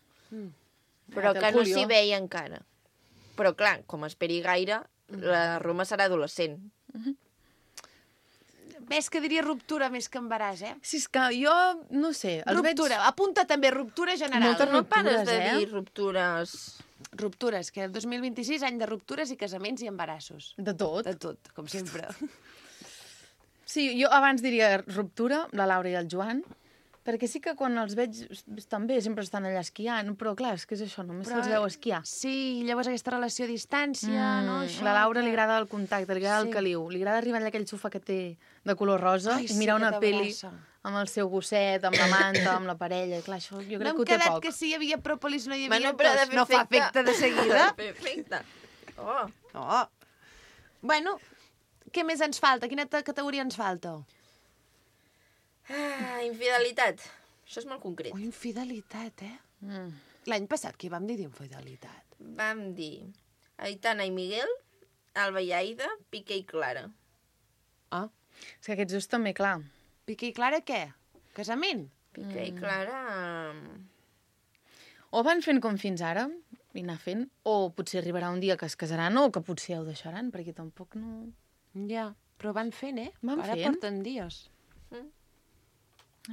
Però té el que no Julio. s'hi veia encara. Però clar, com esperi gaire, la Roma serà adolescent. Ves que diria ruptura més que embaràs, eh? Si és que jo, no sé, els Ruptura, apunta també ruptura general. Moltes No pares ruptures, de eh? dir ruptures. Ruptures, que el 2026, any de ruptures i casaments i embarassos. veig... De tot. De tot, com sempre. Sí, jo abans diria ruptura, la Laura i el Joan, perquè sí que quan els veig estan bé, sempre estan allà esquiant, però clar, és que és això, només se'ls veu esquiar. Sí, llavors aquesta relació a distància, no? Això, La Laura li que- agrada el contacte, li agrada el Sí. caliu, li agrada arribar allà a aquell sofà que té de color rosa Ai, i sí, mirar que una pel·li t'abraça. amb el seu gosset, amb la manta, amb la parella, i clar, això jo No crec hem que ho té quedat poc. que si hi havia pròpolis no hi havia Bueno, però ha de tos. fer No fa efecte de seguida. Ha de fer efecte. Oh. No. Bueno, què més ens falta? Quina categoria ens falta? Ah, infidelitat. Això és molt concret. Oh, infidelitat, eh? L'any passat què vam dir d'infidelitat? Vam dir Aitana i Miguel, Alba i Aida, Piqué i Clara. Ah, És que aquests dos també, clar. Piqué i Clara què? Casament? Piqué i Clara... O van fent com fins ara, i anar fent, o potser arribarà un dia que es casaran o que potser ho deixaran, perquè tampoc no... Ja, però van fent, eh? Van Ara fent. porten dies.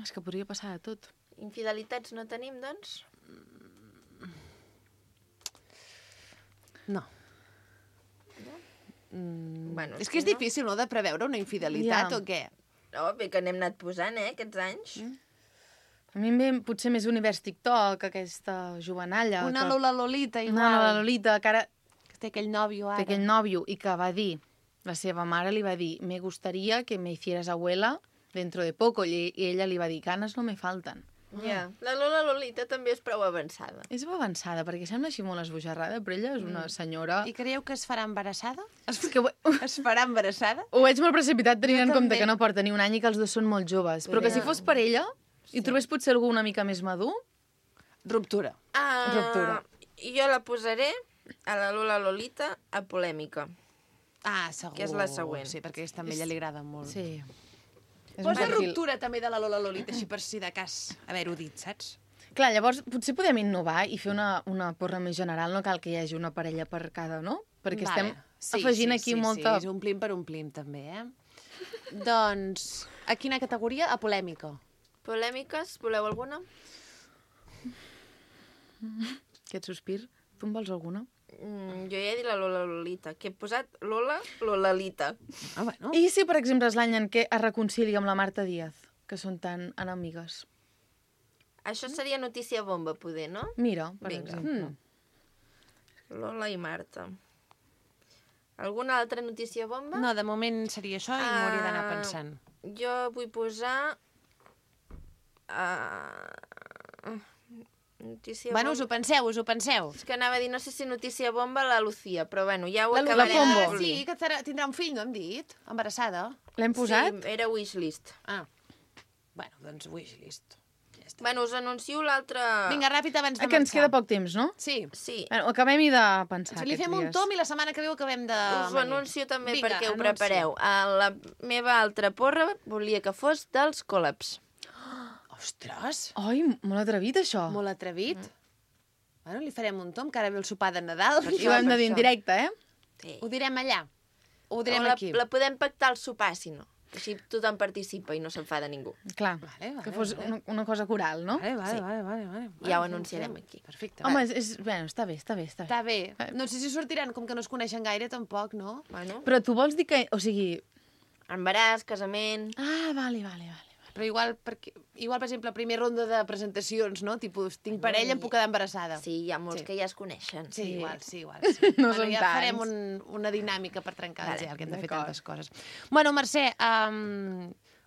És que podria passar de tot. Infidelitats no tenim, doncs? No. Bueno, És que és difícil, no?, de preveure una infidelitat Ja. o què? No, bé que n'hem anat posant, aquests anys. A mi em ve potser més univers TikTok, aquesta jovenalla. Una que... Lola Lolita, igual. Una Lola Lolita, que ara Que té aquell nòvio ara. té aquell nòvio i que va dir, la seva mare li va dir, me gustaría que me hicieras abuela dentro de poco, i ella li va dir, ganes no me falten. Ja. La Lola Lolita també és prou avançada. És avançada, perquè sembla així molt esbojarrada, però ella és una senyora... I creieu que es farà embarassada? És que Es farà embarassada? ho veig molt precipitat tenint Jo en compte també. que no porta ni un any i que els dos són molt joves. Però que si fos per ella i trobés potser algú una mica més madur, Ruptura. Ruptura. Jo la posaré a la Lola Lolita a polèmica. Ah, segur. Que és la següent. Sí, perquè aquesta a ella li agrada molt. sí. És Posa un perfil. ruptura també de la Lola Lolita, així per si de cas haver-ho dit, saps? Clar, llavors potser podem innovar i fer una porra més general, no cal que hi hagi una parella per cada, no? Perquè estem afegint aquí molta... Sí, omplim per omplim, també, eh? Doncs, a quina categoria? A polèmica. Polèmiques, voleu alguna? Aquest sospir. Tu en vols alguna? Jo ja he dit la Lola Lolita, que he posat Lola Lolalita. Ah, bueno. I si, per exemple, és l'any en què es reconcilia amb la Marta Díaz, que són tan enemigues? Això seria notícia bomba, poder, no? Mira, per Vinga. exemple. Lola i Marta. Alguna altra notícia bomba? No, de moment seria això i m'ho hauria d'anar pensant. Jo vull posar... Notícia Bueno, us bomba. ho penseu. És que anava a dir, no sé si notícia bomba la Lucía, però bueno, ja ho La acabarem. Pombo. de Sí, polir. que tindrà un fill, no hem dit? Embarassada. L'hem posat? Sí, era wishlist. Ah, bueno, doncs wishlist. Ja està. Bueno, us anuncio l'altre... Vinga, ràpid abans de Que ens queda marxar. poc temps, no? Sí. Sí, Bueno, acabem-hi de pensar Si li fem un tom i la setmana que ve ho acabem de... us ho anuncio també Vinga, perquè ho anuncia. prepareu. La meva altra porra volia que fos dels Collabs. Ostres, Ai, molt atrevit, això. molt atrevit. Bueno, li farem un tom, que ara ve el sopar de Nadal. I ho hem de dir en directe, eh? Sí. Ho direm allà. O ho direm O aquí. la podem pactar al sopar, si no. Així tothom participa i no s'enfada ningú. Clar, Vale, que fos una cosa coral, no? Vale, Sí. vale. Ja ho anunciarem aquí. Perfecte. Home, va. bueno, està bé. Està bé. No sé si sortiran, com que no es coneixen gaire, tampoc, no? Bueno, Però tu vols dir que... O sigui... embaràs, casament... Ah, vale. Però igual, per exemple, primer ronda de presentacions, no? Tipus, tinc parella, em puc quedar embarassada. Sí, hi ha molts Sí. que ja es coneixen. Sí, igual. Sí. No Bueno, són ja tants. farem una dinàmica per trencar el Vale, gel, que hem de fer d'acord. tantes coses. Bueno, Mercè,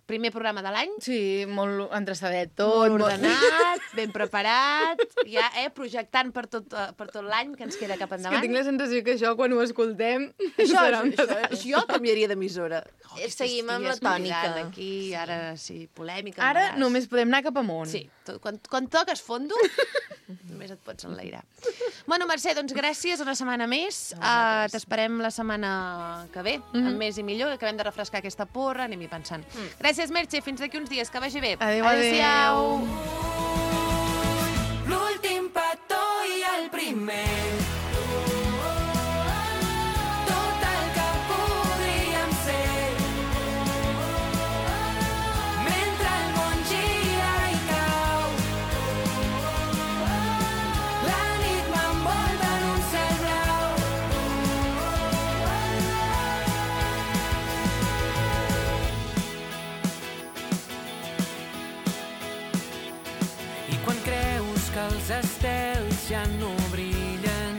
primer programa de l'any, Sí, molt endreçadet tot. molt ordenat, ben preparat, ja, projectant per tot l'any que ens queda cap És que endavant. tinc la sensació que això, quan ho escoltem, Això, serà un jo canviaria d'emissora. Seguim amb la tònica. Aquí, ara sí, polèmica. Ara embaràs. només podem anar cap amunt. Sí, quan toques fondo, només et pots enlairar. Bueno, Mercè, doncs gràcies, una setmana més. T'esperem la setmana que ve, amb més i millor, que acabem de refrescar aquesta porra, anem-hi pensant. Gràcies, Mercè, fins d'aquí uns dies, que vagi bé. Adéu. Adéu-siau. L'últim petó i el primer. Tot el que podríem ser. Mentre el món gira i cau, la nit m'envolta en un cel blau. I quan creus que els estels ja no brillen,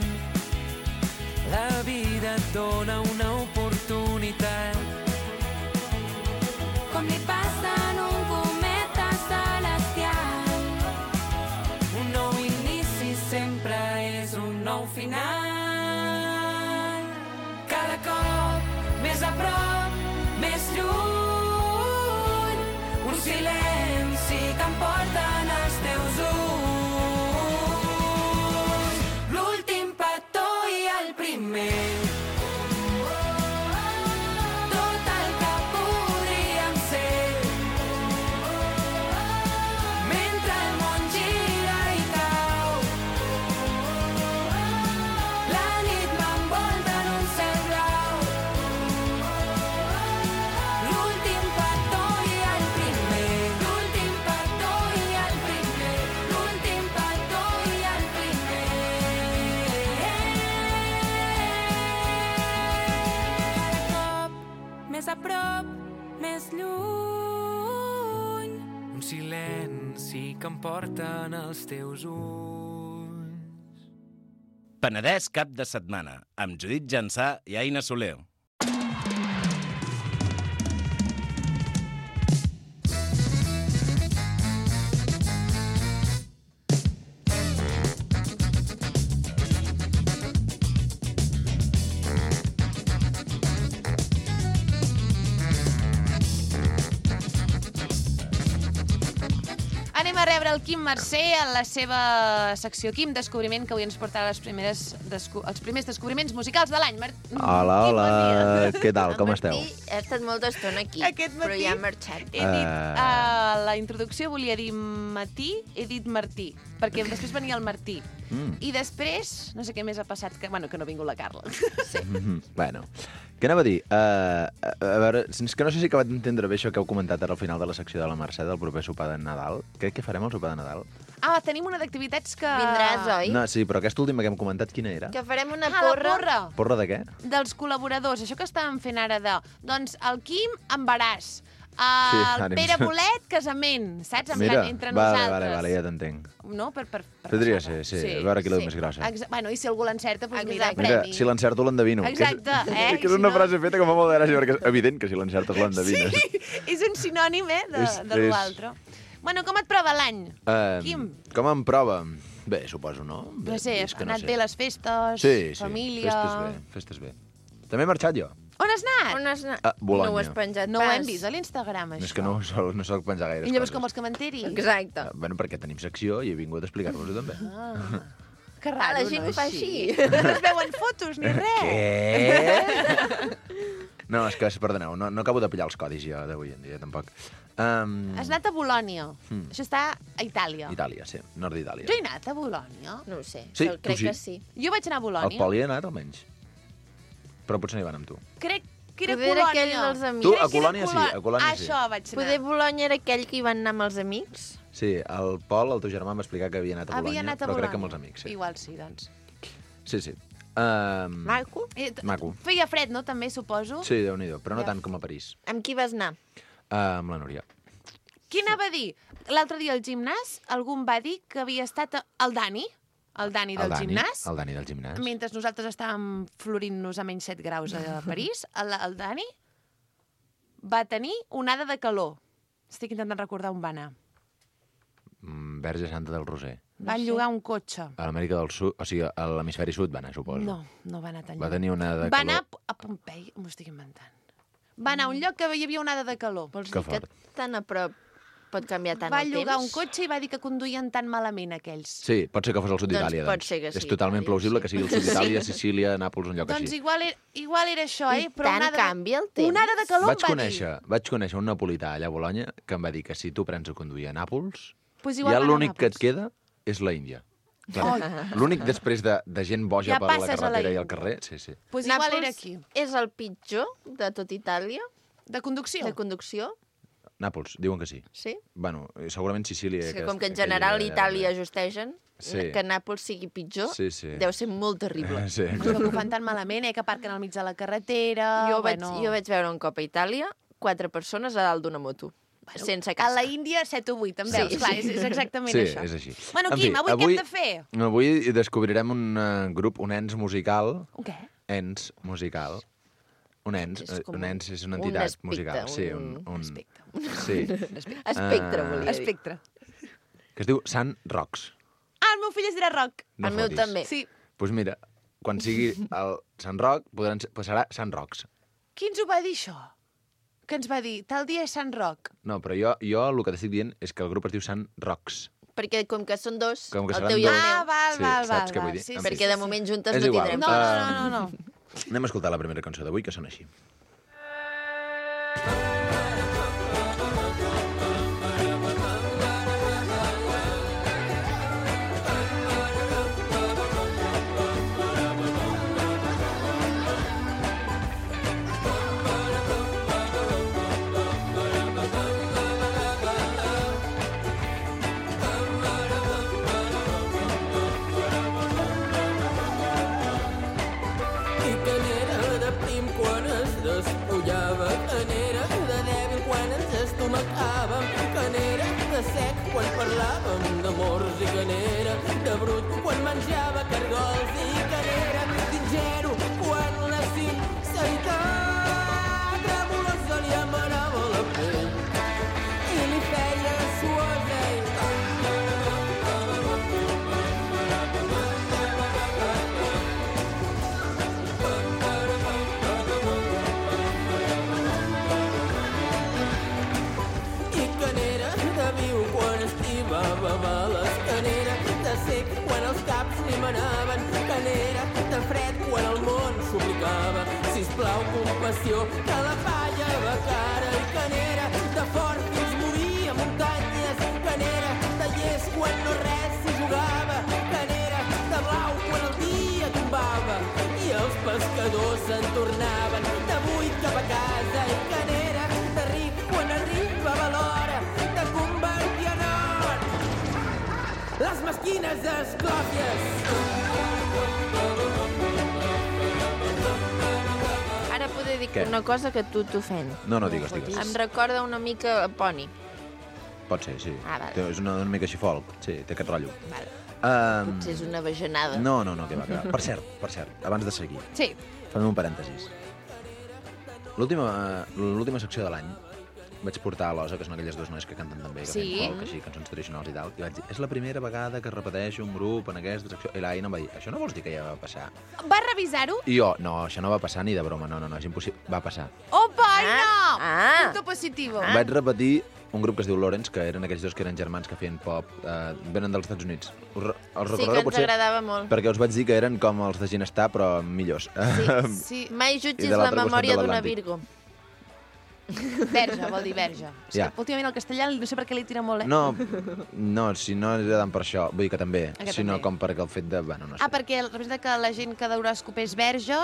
la vida et dona una oportunitat. Com li passa en un cometa celestial, un nou inici sempre és un nou final. Cada cop més a prop, més lluny, un silenci que em porten els teus ulls. L'últim petó i el primer. Tot el que podríem ser. Mentre el món gira i cau, la nit m'envolta en un cel blau. L'últim petó i el primer. L'últim petó i el primer. L'últim petó i el primer. Més a prop, més lluny. Un silenci que em porten els teus ulls. Penedès cap de setmana, amb Judit Jansà i Aina Soler. Anem a rebre el Quim Mercè en la seva secció Quim Descobriment, que avui ens portarà els primers descobriments musicals de l'any. Hola, hola, què tal, com esteu? Martí ha estat molta estona aquí, Aquest matí però ja ha marxat. He dit, la introducció volia dir Matí, he dit Martí, perquè després venia el Martí. I després, no sé què més ha passat, que no ha vingut la Carla. Sí. Bueno, què anava a dir? A veure, és que no sé si he acabat d'entendre bé això que heu comentat ara al final de la secció de la Mercè del proper sopar de Nadal. Què farem al sopar de Nadal? Tenim una d'activitats que... Vindràs, oi? No, sí, però aquesta última que hem comentat, quina era? Que farem una la porra. porra Porra de què? dels col·laboradors, això que estàvem fent ara de... Doncs el Quim, embaràs. El ànims. Pere Bolet, casament, saps? En Mira, plan, entre vale, nosaltres. ja t'entenc. No? Per Podria passar-ho. ser, sí. A veure qui la més grossa. Bueno, i si algú l'encerta, doncs mira, Exacte. Mira, premi. si l'encerto l'endevino. Exacte, Que és Si una no- frase feta que fa molt de gràcia, perquè és evident que si l'encertes l'endevines. Sí, és un sinònim, de És- l'altre. Bueno, com et prova l'any? Quim? Com em prova? Bé, suposo, no? No sé, és que ha anat bé les festes, Sí, família... festes bé. També he marxat jo. On has anat? On has anat? A Bologna. No ho has penjat No ho pas. hem vist a l'Instagram, això. És que no soc penjar gaires I llavors coses. com vols que m'enteri? Exacte. Bueno, perquè tenim secció i he vingut a explicar-vos-ho també. Que raro, la gent no, ho fa així. No es veuen fotos ni res. Què? No, és que, perdoneu, no acabo de pillar els codis jo d'avui en dia, tampoc. Has anat a Bolònia. Això està a Itàlia. Itàlia, sí, nord d'Itàlia. Jo he anat a Bolònia. No ho sé, Sí, però tu crec sí. que sí. Jo vaig anar a El Bolònia. Pol hi ha anat, almenys. Però potser no hi van amb tu. Crec que era Poder era Colònia. aquell dels amics. Tu, Crec a que era Colònia sí, a Colònia sí. Això vaig anar. Poder Bologna era aquell que hi van anar amb els amics? Sí, el Pol, el teu germà, em va explicar que havia anat a Bolònia, Havia anat a però Bolònia. crec que amb els amics, sí. Igual sí, doncs. Sí. Maco? Maco. Feia fred, no? També, suposo. Sí, Déu-n'hi-do, però no Ja. tant com a París. Amb qui vas anar? Amb la Núria. Qui anava a dir? L'altre dia al gimnàs algú em va dir que havia estat el Dani del gimnàs. El Dani del gimnàs. Mentre nosaltres estàvem florint-nos a menys 7 graus a París, el Dani va tenir onada de calor. Estic intentant recordar on va anar. Verge Santa del Roser. Van llogar un cotxe. A l'Amèrica del Sud, o sigui, a l'hemisferi sud va anar, suposo. No va anar tan Va lluny. tenir onada de Va calor. anar a Pompei, m'ho estic inventant. Va anar a un lloc que hi havia onada de calor. Vols Que dir que fort. tan a prop pot canviar tant Va el llogar temps? un cotxe i va dir que conduïen tan malament aquells. Sí, pot ser que fos el sud Doncs d'Itàlia. pot ser que És sí, totalment Itàlia, plausible sí. que sigui el sud d'Itàlia, Sicília, Nàpols, un lloc Doncs així. igual era això, I eh? Però tant onada canvia el temps. Onada de calor Vaig em va dir. conèixer un napolità allà a Bologna que em va dir que si tu prens a conduir a Nàpols, Pues igual ja va anar a l'únic que et Nàpols. queda és la Índia. L'únic després de gent boja Ja per la passes a la carretera i al Índia. carrer. Sí. Pues igual Nàpols era aquí. és el pitjor de tot Itàlia, De conducció? de conducció, Nàpols, diuen que sí. sí? Bueno, segurament Sicília... És que com que en general Itàlia justegen, Sí. que Nàpols sigui pitjor, Sí, sí. deu ser molt terrible. Sí. Però que ho fan tan malament, que aparquen al mig de la carretera... Jo vaig veure un cop a Itàlia 4 persones a dalt d'una moto, sense A casc. la Índia, 7 o 8, em Sí. veus? Clar, és exactament Sí, això. és així. Bueno, En Quim, fi, avui què hem de fer? Avui descobrirem un grup, un ens musical. Un què? Ens musical. Un ens, És com un ens és una un entitat aspecte, musical. Sí, un aspecte. Sí. Espectre, volia dir. Espectre. Que es diu Sant Rocs. Ah, el meu fill es dirà Roc. No El meu fotis. també. Sí. Doncs mira, quan sigui el Sant Roc, serà Sant Rocs. Qui ens ho va dir, això? Que ens va dir, tal dia és Sant Roc. No, però jo el que t'estic dient és que el grup es diu Sant Rocs. Perquè com que són dos, Com que el seran teu i el dos. meu, Ah, val, Sí, val, saps val. què vull dir? Sí, En sí, fi. perquè de moment juntes És no igual. tindrem. No. Anem a escoltar la primera cançó d'avui, que sona així. I canera de prim quan es despullava, canera de dèbil quan ens estomacàvem, canera de sec quan parlàvem d'amors i canera de brut quan menjava cargols i canera d'ingenu quan la sinceritat tremolosa li amarava la pell i li feia suosa i canera de viu quan estimava males, canera de sec quan els caps li manaven, canera de fred quan el món suplicava, sisplau compassió que la palla va cara, i canera de fort fins moria muntanyes, canera de llest quan no res s'hi jugava, canera de blau quan el dia tombava i els pescadors se'n tornaven de buit cap a casa, i canera de ric quan arribava l'hora de convertir en or les mesquines esclòpies. Ara poder dir Què? una cosa que tu t'ofèn. No, digues. Em recorda una mica a Pony. Pot ser, sí. Ah, vale. És una mica així folk. Sí, té aquest rotllo. Vale. Um, Potser és una bajanada. No, que va. Per cert, abans de seguir, Sí. fem un parèntesis. L'última secció de l'any vaig portar a l'Osa, que són aquelles dues noies que canten també, que Sí. fan folk, així, cançons tradicionals i tal, i vaig dir, és la primera vegada que repeteixo un grup en aquesta secció. I l'Aina em va dir, això no vols dir que ja va passar? Va revisar-ho? I jo, no, això no va passar ni de broma, no, és impossible. Va passar. Opa, Aina! Ah. Punto positivo. Vaig repetir un grup que es diu Lawrence, que eren aquells dos que eren germans que feien pop, venen dels Estats Units. Els Sí, que recordeu ens potser agradava molt. perquè us vaig dir que eren com els de Ginestar, però millors. Sí. Mai I jutgis de la l'altre costat memòria de d'una l'Atlàntic. Virgo. Verge, vol dir verge. És Ja. que últimament el castellà no sé per què li tira molt, eh? No, si no era tant per això, vull dir que també, Que sinó també. com perquè el fet de... Bueno, no sé. Perquè representa que la gent que d'horòscop és verge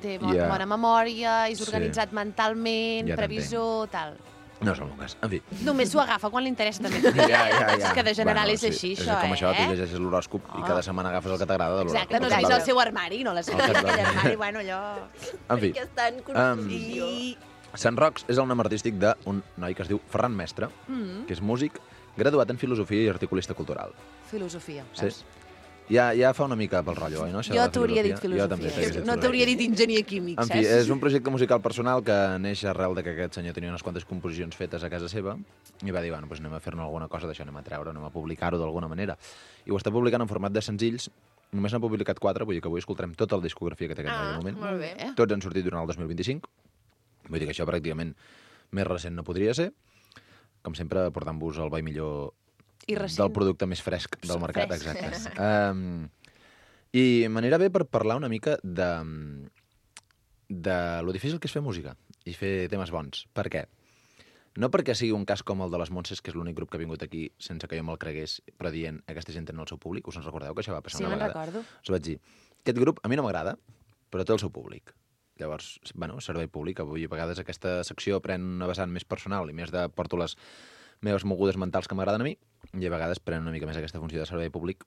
té Ja. bona memòria, és Sí. organitzat mentalment, Ja previsor, tal. No és el meu cas. En fi. Només s'ho agafa quan li interessa també. Ja. És que de general Bueno, és així, sí, això, és com això, tu eh? llegeixes l'horòscop i cada setmana agafes el que t'agrada de l'horòscop. Exacte, no seguis el seu armari, no les El que et va aquell bé. armari, bueno, allò... En fi, Que està en construcció. Sant Rocs és el nom artístic d'un noi que es diu Ferran Mestre, que és músic, graduat en filosofia i articulista cultural. Filosofia. Sí. Ja fa una mica pel rotllo, oi, no? Això de Jo la t'hauria dit Jo filosofia. també t'hauria dit No t'hauria dit enginyer químic, En saps? fi, és un projecte musical personal que neix arrel de que aquest senyor tenia unes quantes composicions fetes a casa seva i va dir, bueno, doncs anem a fer-ne alguna cosa d'això, anem a treure, anem a publicar-ho d'alguna manera. I ho està publicant en format de senzills. Només n'ha publicat 4, vull dir que avui escoltarem tota la discografia que té aquest noi de moment. Molt bé. Tots han sortit durant el 2025. Vull dir que això pràcticament més recent no podria ser. Com sempre, portant-vos el bo i millor I recent. del producte més fresc del mercat. Fresc. Exacte. I m'anirà bé per parlar una mica de lo difícil que és fer música i fer temes bons. Per què? No perquè sigui un cas com el de les Montses, que és l'únic grup que ha vingut aquí sense que jo me'l cregués, però dient aquesta gent té el seu públic. Us en recordeu que això va passar Sí, una me'n vegada? recordo. Us vaig dir, aquest grup a mi no m'agrada, però té el seu públic. Llavors, bueno, servei públic. Avui a vegades aquesta secció pren una vessant més personal i més de porto les meves mogudes mentals que m'agraden a mi, i a vegades pren una mica més aquesta funció de servei públic,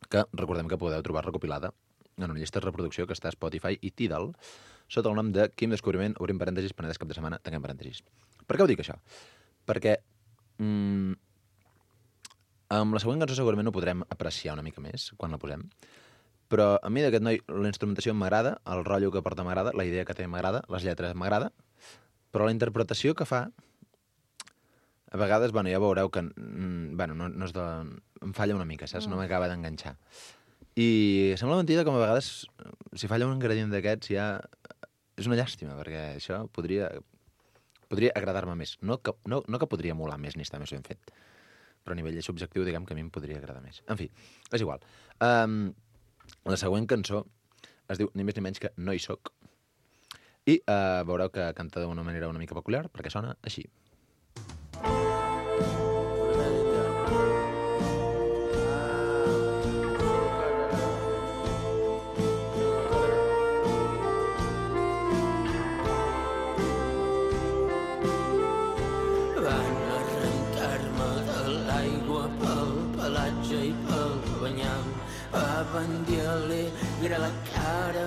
que recordem que podeu trobar recopilada en una llista de reproducció que està a Spotify i Tidal, sota el nom de Quim Descobriment, obrim parèntesis, Penedès cap de setmana, tanquem parèntesis. Per què ho dic, això? Perquè amb la següent cançó segurament ho podrem apreciar una mica més quan la posem, però a mi d'aquest noi la instrumentació m'agrada, el rotllo que porta m'agrada, la idea que té m'agrada, les lletres m'agrada, però la interpretació que fa, a vegades, bueno, ja veureu que no és de... em falla una mica, saps? No m'acaba d'enganxar. I sembla mentida com a vegades, si falla un ingredient d'aquests, ja és una llàstima, perquè això podria agradar-me més. No que podria molar més ni estar més ben fet, però a nivell subjectiu, diguem que a mi em podria agradar més. En fi, és igual. La següent cançó es diu ni més ni menys que No hi soc, i veureu que canta d'una manera una mica peculiar, perquè sona així. Van arrencar-me de l'aigua pel pelatge i pel banyam. Van dir alegre la cara,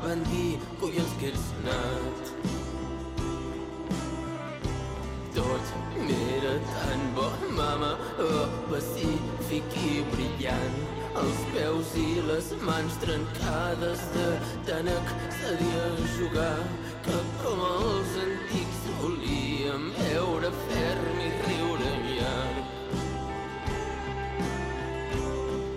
van dir collons que ets nat. Tot era tan bo, mama, pacífic i brillant. Els peus i les mans trencades de tant accedir a jugar, que com els antics volíem veure ferm i riure llarg.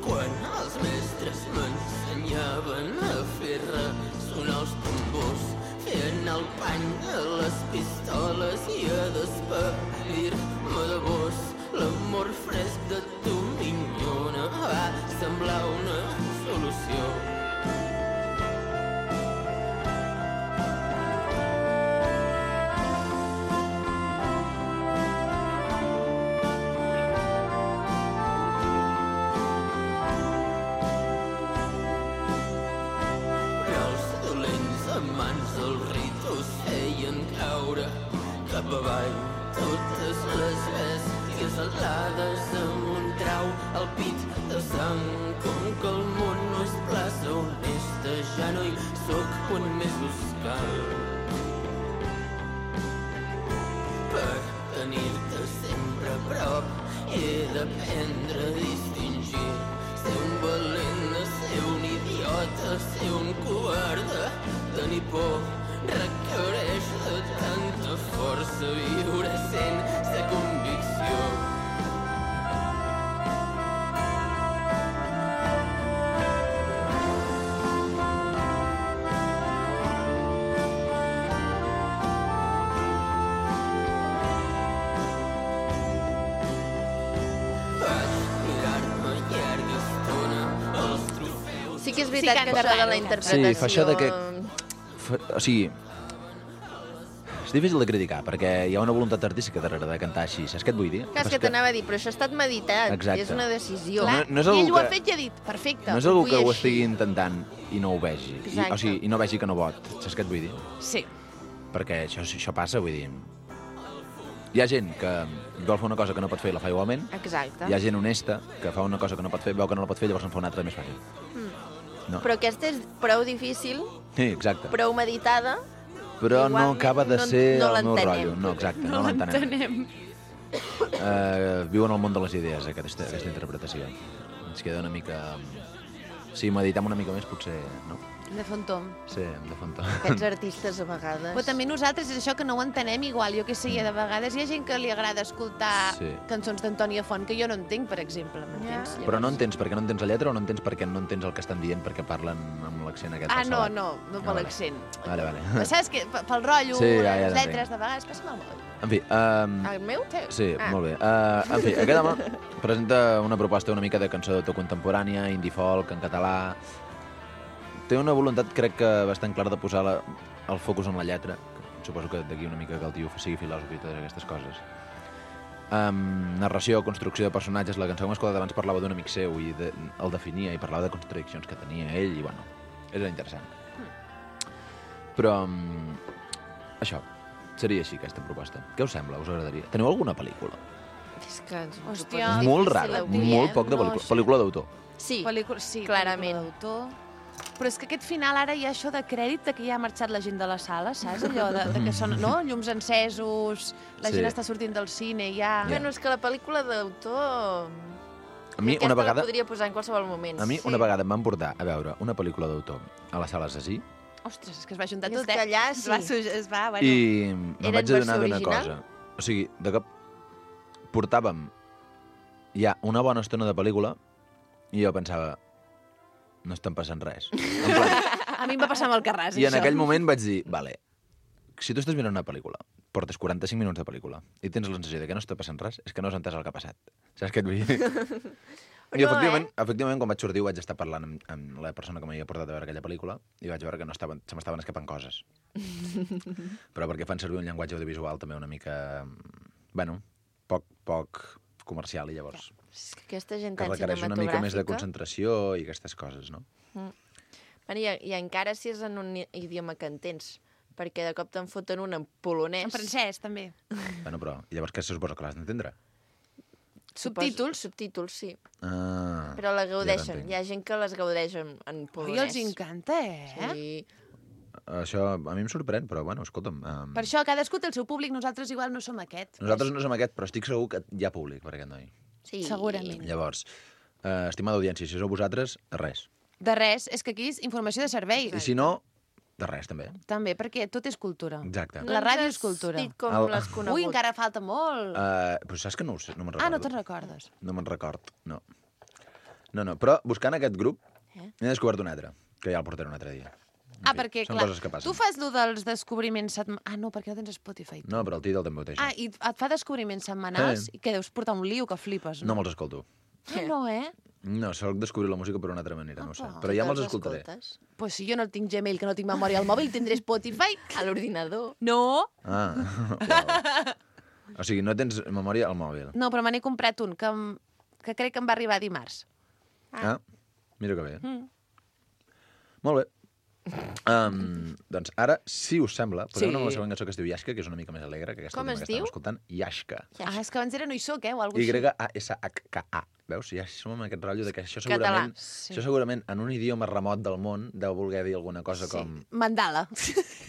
Quan els mestres m'ensenyaven a fer ressonar els tambors, fent el pany a les pistoles i a despedir-me de vos, l'amor fresc de tu, minyona, va semblar una solució. Però els dolents amants del ritus feien caure cap avall totes les bèsties alades amb un trau al pit de sang. Com que el món no és plaça honesta, ja no hi soc on més us cal. Per tenir-te sempre a prop he d'aprendre a distingir, ser un valent, ser un idiota, ser un covarde, tenir por requereix de tanta força, viure que és veritat que això de la interpretació... Sí, fa això de que... O sigui, és difícil de criticar, perquè hi ha una voluntat artística darrere de cantar així, saps què et vull dir? Clar, és que t'anava a dir, però això ha estat meditat, Exacte. és una decisió. Clar, no és i algú ell ho ha que- fet i ha dit, perfecte. No és algú vull que ho així. estigui intentant i no ho vegi. Exacte. O sigui, i no vegi que no pot, saps què et vull dir? Sí. Perquè això passa, vull dir... Hi ha gent que vol fer una cosa que no pot fer i la fa igualment. Exacte. Hi ha gent honesta que fa una cosa que no pot fer, veu que no la pot fer, llavors en fa una altra més fàcil. No. Però aquesta és prou difícil, Sí, exacte. prou meditada, Però no igualment acaba de no- ser no el meu l'entenem. rotllo. No, exacte, No no l'entenem. l'entenem. Viu en el món de les idees, aquesta interpretació. Ens queda una mica... Si meditem una mica més, potser... No? Hem de fer un tom. Sí, hem de fer un tom. aquests artistes a vegades. Però també nosaltres és això que no ho entenem igual. Jo que sé, de vegades hi ha gent que li agrada escoltar Sí. cançons d'Antònia Font, que jo no entenc, per exemple, m'entens? Però no entens perquè no entens la lletra o no entens perquè no entens el que estan dient perquè parlen amb l'accent aquest Ah, del no, salat? no per vale. l'accent. Vale, vale. Però saps que pel rotllo, Sí, ja les t'entenc. lletres, de vegades passa malament. En fi, El meu? sí, Ah. molt bé. En fi, aquest home presenta una proposta una mica de cançó d'autor contemporània, indie folk, en català. Té una voluntat, crec que bastant clara, de posar el focus en la lletra. Suposo que d'aquí una mica que el tio sigui filòsof i totes aquestes coses. Narració, construcció de personatges. La cançó que hem escoltat abans parlava d'un amic seu i el definia i parlava de contradiccions que tenia ell i, bueno, era interessant. Però, això, seria així, aquesta proposta. Què us sembla? Us agradaria? Teniu alguna pel·lícula? És que ens ho Hòstia, poses Molt difícil rara, avui, molt poc de No, pel·lícula. sí. Pel·lícula d'autor. Sí, Sí, clarament. pel·lícula d'autor. Però és que aquest final ara hi ha això de crèdit de que ja ha marxat la gent de la sala, saps? Allò de que són, no? Llums encesos, la Sí. gent està sortint del cine, ja... Bueno, és que la pel·lícula d'autor... A mi, aquesta una vegada... la podria posar en qualsevol moment. A mi, una vegada em van portar a veure una pel·lícula d'autor a la sala Zasí Ostres, és que es va juntar És tot, que allà sí. Es va, bueno... i me'n Era en vaig adonar versió d'una original? cosa. O sigui, de cop portàvem ja una bona estona de pel·lícula i jo pensava, no estan passant res. En plan, A mi em va passar amb el Carràs, I en això. aquell moment vaig dir, vale, si tu estàs mirant una pel·lícula, portes 45 minuts de pel·lícula i tens la sensació de que no està passant res, és que no has entès el que ha passat. Saps què et vull dir? I No, efectivament, quan vaig sortir ho vaig estar parlant amb la persona que m'havia portat a veure aquella pel·lícula i vaig veure que se m'estaven escapant coses. Però perquè fan servir un llenguatge audiovisual també una mica, bueno, poc comercial i llavors És que aquesta gent que tan requereix una mica més de cinematogràfica... concentració i aquestes coses, no? Bueno, i encara si és en un idioma que entens, perquè de cop te'n foten un en polonès. En francès, també. Bueno, però llavors què se suposa que l'has d'entendre? Subtítols. Subtítols, sí. Ah, Però la ja gaudeixen. t'entenc. Hi ha gent que les gaudeix en polonès. I els encanta, eh? Sí. Això a mi em sorprèn, però bueno, escolta'm... Per això cadascú té el seu públic, nosaltres igual no som aquest. Nosaltres no som aquest, però estic segur que hi ha públic per aquest noi. Sí. Segurament. Llavors, estimada audiència, si sou vosaltres, res. De res, és que aquí és informació de servei. I si no, de res, també. També, perquè tot és cultura. Exacte. La ràdio és cultura. Dit com El- l'has conegut. Ui, encara falta molt. Però saps que no ho sé, no me'n recordo. Ah, no te'n recordes. No me'n record, no. No, però buscant aquest grup, Eh? n'he descobert un altre, que ja el portaré un altre dia. En Ah, fi, perquè, són clar, coses que passen. tu fas lo dels descobriments setmanals... Ah, no, perquè no tens Spotify. No, però el títol també ho té, Ah, això. i et fa descobriments setmanals i que deus portar un lío que flipes, No no? me'ls escolto. Ah, no, eh? No, soc descobrir la música per una altra manera, no ho sé. Apa. Però ja me'ls Te'ls escoltaré. escoltes Pues si jo no tinc Gmail, que no tinc memòria al mòbil, tindré Spotify. A l'ordinador. No, Ah, uau. O sigui, no tens memòria al mòbil. no, però me n'he comprat un que crec que em va arribar dimarts. Ah, mira que bé. Mm. Molt bé. Doncs ara, si us sembla, posem Sí. una següent cançó que es diu Yashka, que és una mica més alegre que aquesta Com última es que estàvem diu? escoltant. Yashka. Ah, és que abans era no hi soc, o alguna cosa així. Y-A-S-H-K-A. Veus? Ja som amb aquest rotllo de que això segurament, Sí. això segurament en un idioma remot del món deu voler dir alguna cosa com... Mandala.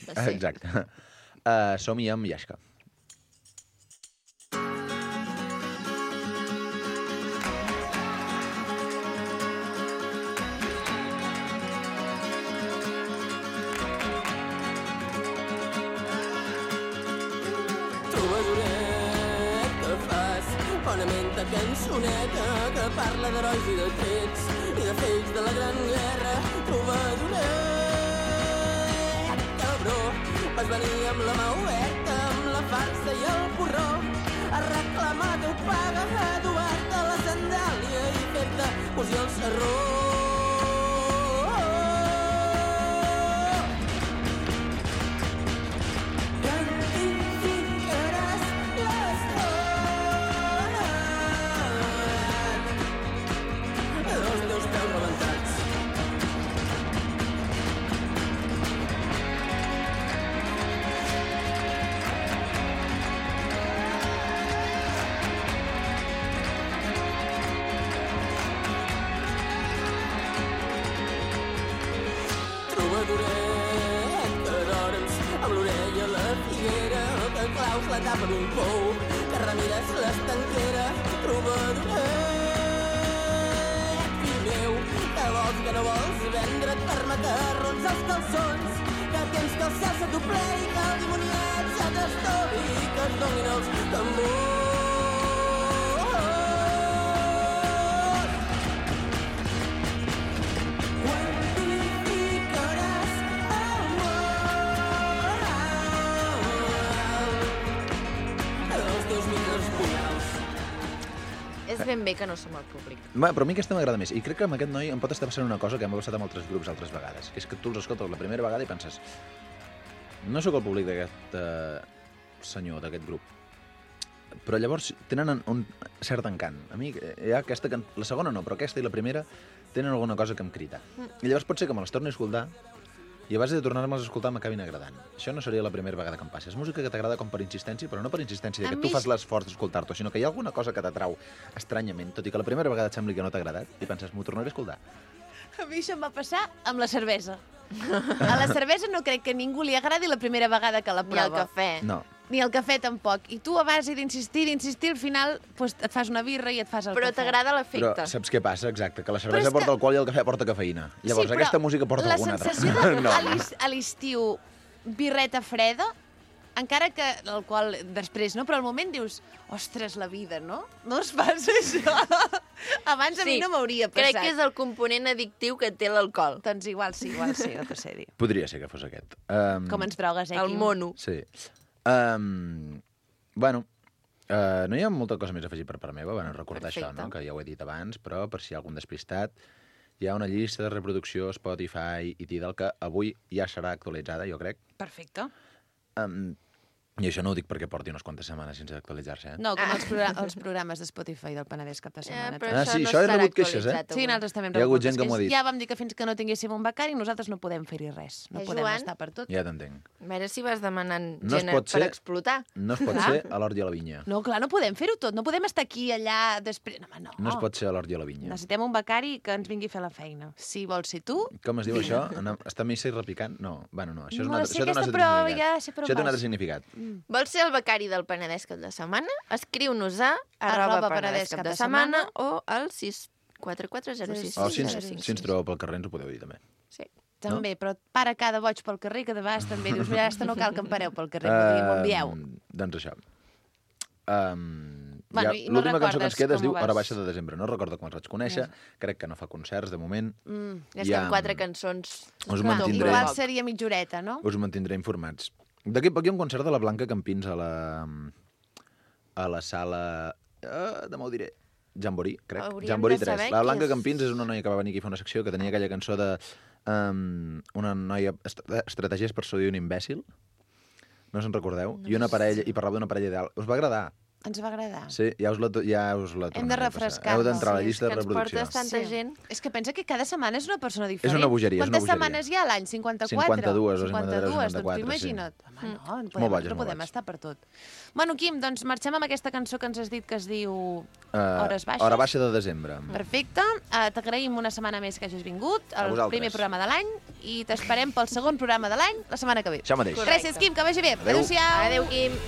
Exacte. Som-hi amb Yashka. Trobadoret que fas bona menta cançoneta que parla d'herois i de trets i de fets de la gran guerra. Trobadoret, cabró, vas venir amb la mà oberta, amb la farsa i el porró a reclamar teu paga, a dur-te la sandàlia i fer-te cosir el sarró. claus la tapa d'un pou, que remires l'estanquera trobadoret. Fill meu, que vols que no vols vendre't per macarrons als calçons, que tens que el cel se t'ho plegui, que el dimoniet se t'estovi, que es donin els tambors. Quantificaràs el món els teus millors punyals. És ben bé que no som el públic. Va, però a mi aquesta m'agrada més. I crec que amb aquest noi em pot estar passant una cosa que m'ha passat amb altres grups altres vegades, que és que tu els escoltes la primera vegada i penses no sóc el públic d'aquest senyor, d'aquest grup. Però llavors tenen un cert encant. A mi hi ha aquesta... La segona no, però aquesta i la primera tenen alguna cosa que em crida. I llavors pot ser que me les torni a escoltar i a base de tornar-me'ls a escoltar m'acabin agradant. Això no seria la primera vegada que em passa. És música que t'agrada com per insistència, però no per insistència de que tu fas l'esforç d'escoltar-t'ho, sinó que hi ha alguna cosa que t'atrau estranyament, tot i que la primera vegada et sembli que no t'ha agradat, i penses, m'ho tornaré a escoltar. A mi això em va passar amb la cervesa. A la cervesa no crec que a ningú li agradi la primera vegada que la Ni el prova. cafè. No. Ni el cafè tampoc. I tu a base d'insistir, al final pues, et fas una birra i et fas el Però cafè. t'agrada Però l'efecte. saps què passa? Exacte, que la cervesa és que- porta alcohol i el cafè porta cafeïna. Llavors, però aquesta música porta alguna altra. La sensació de No. a l'estiu birreta freda, encara que l'alcohol després, no? Però al moment dius, ostres, la vida, no? No es passa això. Abans a mi no m'hauria passat. Crec que és el component addictiu que té l'alcohol. Doncs igual sí, no t'ho sé dir. Podria ser que fos aquest. Com ens drogues, El Quim? mono. Sí. Bueno, no hi ha molta cosa més a afegir per part meva, bueno, recordar Perfecte. això, no? Que ja ho he dit abans, però per si hi ha algun despistat, hi ha una llista de reproducció Spotify i Tidal que avui ja serà actualitzada, jo crec. Perfecte. I això no ho dic perquè porti unes quantes setmanes sense actualitzar-se, No, com els programes de Spotify del Penedès cap de setmana. però sí, això he rebut queixes, Sí, nosaltres també hem Hi ha hagut rebut gent que m'ho ha dit. Ja vam dir que fins que no tinguéssim un becari nosaltres no podem fer-hi res. No podem Joan? estar per tot. Ja t'entenc. A veure si vas demanant No es gent pot per ser- explotar. No es pot Clar. ser a l'hort i a la vinya. No, clar, no podem fer-ho tot. No podem estar aquí, allà, després... No, home, no. No es pot ser a l'hort i a la vinya. Necessitem un becari que ens vingui a fer la feina. Si vols ser tu... Com es diu això? Està missa i repicant? No, bueno, no. Això és No un la altre, sé, això té un aquesta, altre però significat. ja sé per on Això té un vas. altre significat. Vols ser el becari del Penedès cap de setmana? Escriu-nos a @penedès cap de setmana o al 64406. O si ens trobeu pel carrer ens ho podeu dir també. Sí. També, però para cada boig pel carrer, que de vegades també dius, mira, no cal que em pareu pel carrer, m'ho envieu. Doncs això. Bueno, i no L'última cançó que ens recordes queda es com diu ho vas- Hora baixa de desembre. No recordo com els vaig conèixer, crec que no fa concerts de moment. És que amb 4 cançons... Us Clar, mantindré, igual seria mitjoreta, no? us mantindré informats. D'aquí a poc hi ha un concert de la Blanca Campins a la sala... demà ho diré. Jamboree, crec. Hauríem Jamboree de 3. saber La qui Blanca és. Campins és una noia que va venir aquí a fer una secció que tenia aquella cançó de una noia... Estratègies per seduir un imbècil. No se'n recordeu? I una parella, i parlava d'una parella ideal. Us va agradar? Ens va agradar. Sí, ja us la Hem de tornaré a passar. refrescar-nos. Heu d'entrar a la Sí, llista és de que ens reproducció. portes tanta gent. És que pensa que cada setmana és una persona diferent. És una bogeria, és una Quantes bogeria. setmanes hi ha a l'any? 54? 52 o 52, 54, doncs imagina't. Home, no, molt no boig, és no molt podem boig. estar per tot. Bueno, Quim, doncs marxem amb aquesta cançó que ens has dit que es diu Hores Baixes. Hora baixa de desembre. Perfecte. T'agraïm una setmana més que hagis vingut, A el vosaltres. primer programa de l'any, i t'esperem pel segon programa de l'any la setmana que ve. Això mateix. Gràcies, Quim, que vagi bé. Adéu. Adéu-siau. Adéu, Quim.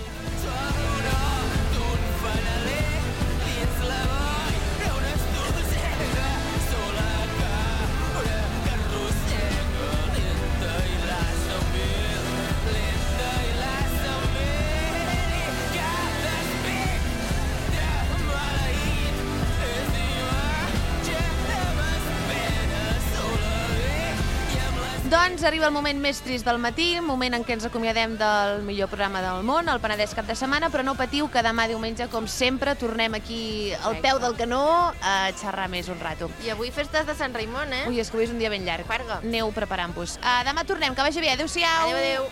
Doncs arriba el moment més trist del matí, moment en què ens acomiadem del millor programa del món, el Penedès cap de setmana, però no patiu que demà diumenge, com sempre, tornem aquí al peu del canó a xerrar més un rato. I avui festes de Sant Raimon, eh? Ui, és que avui és un dia ben llarg. Farga. Aneu preparant-vos. Demà tornem, que vagi bé. Adéu-siau. Adéu, adéu.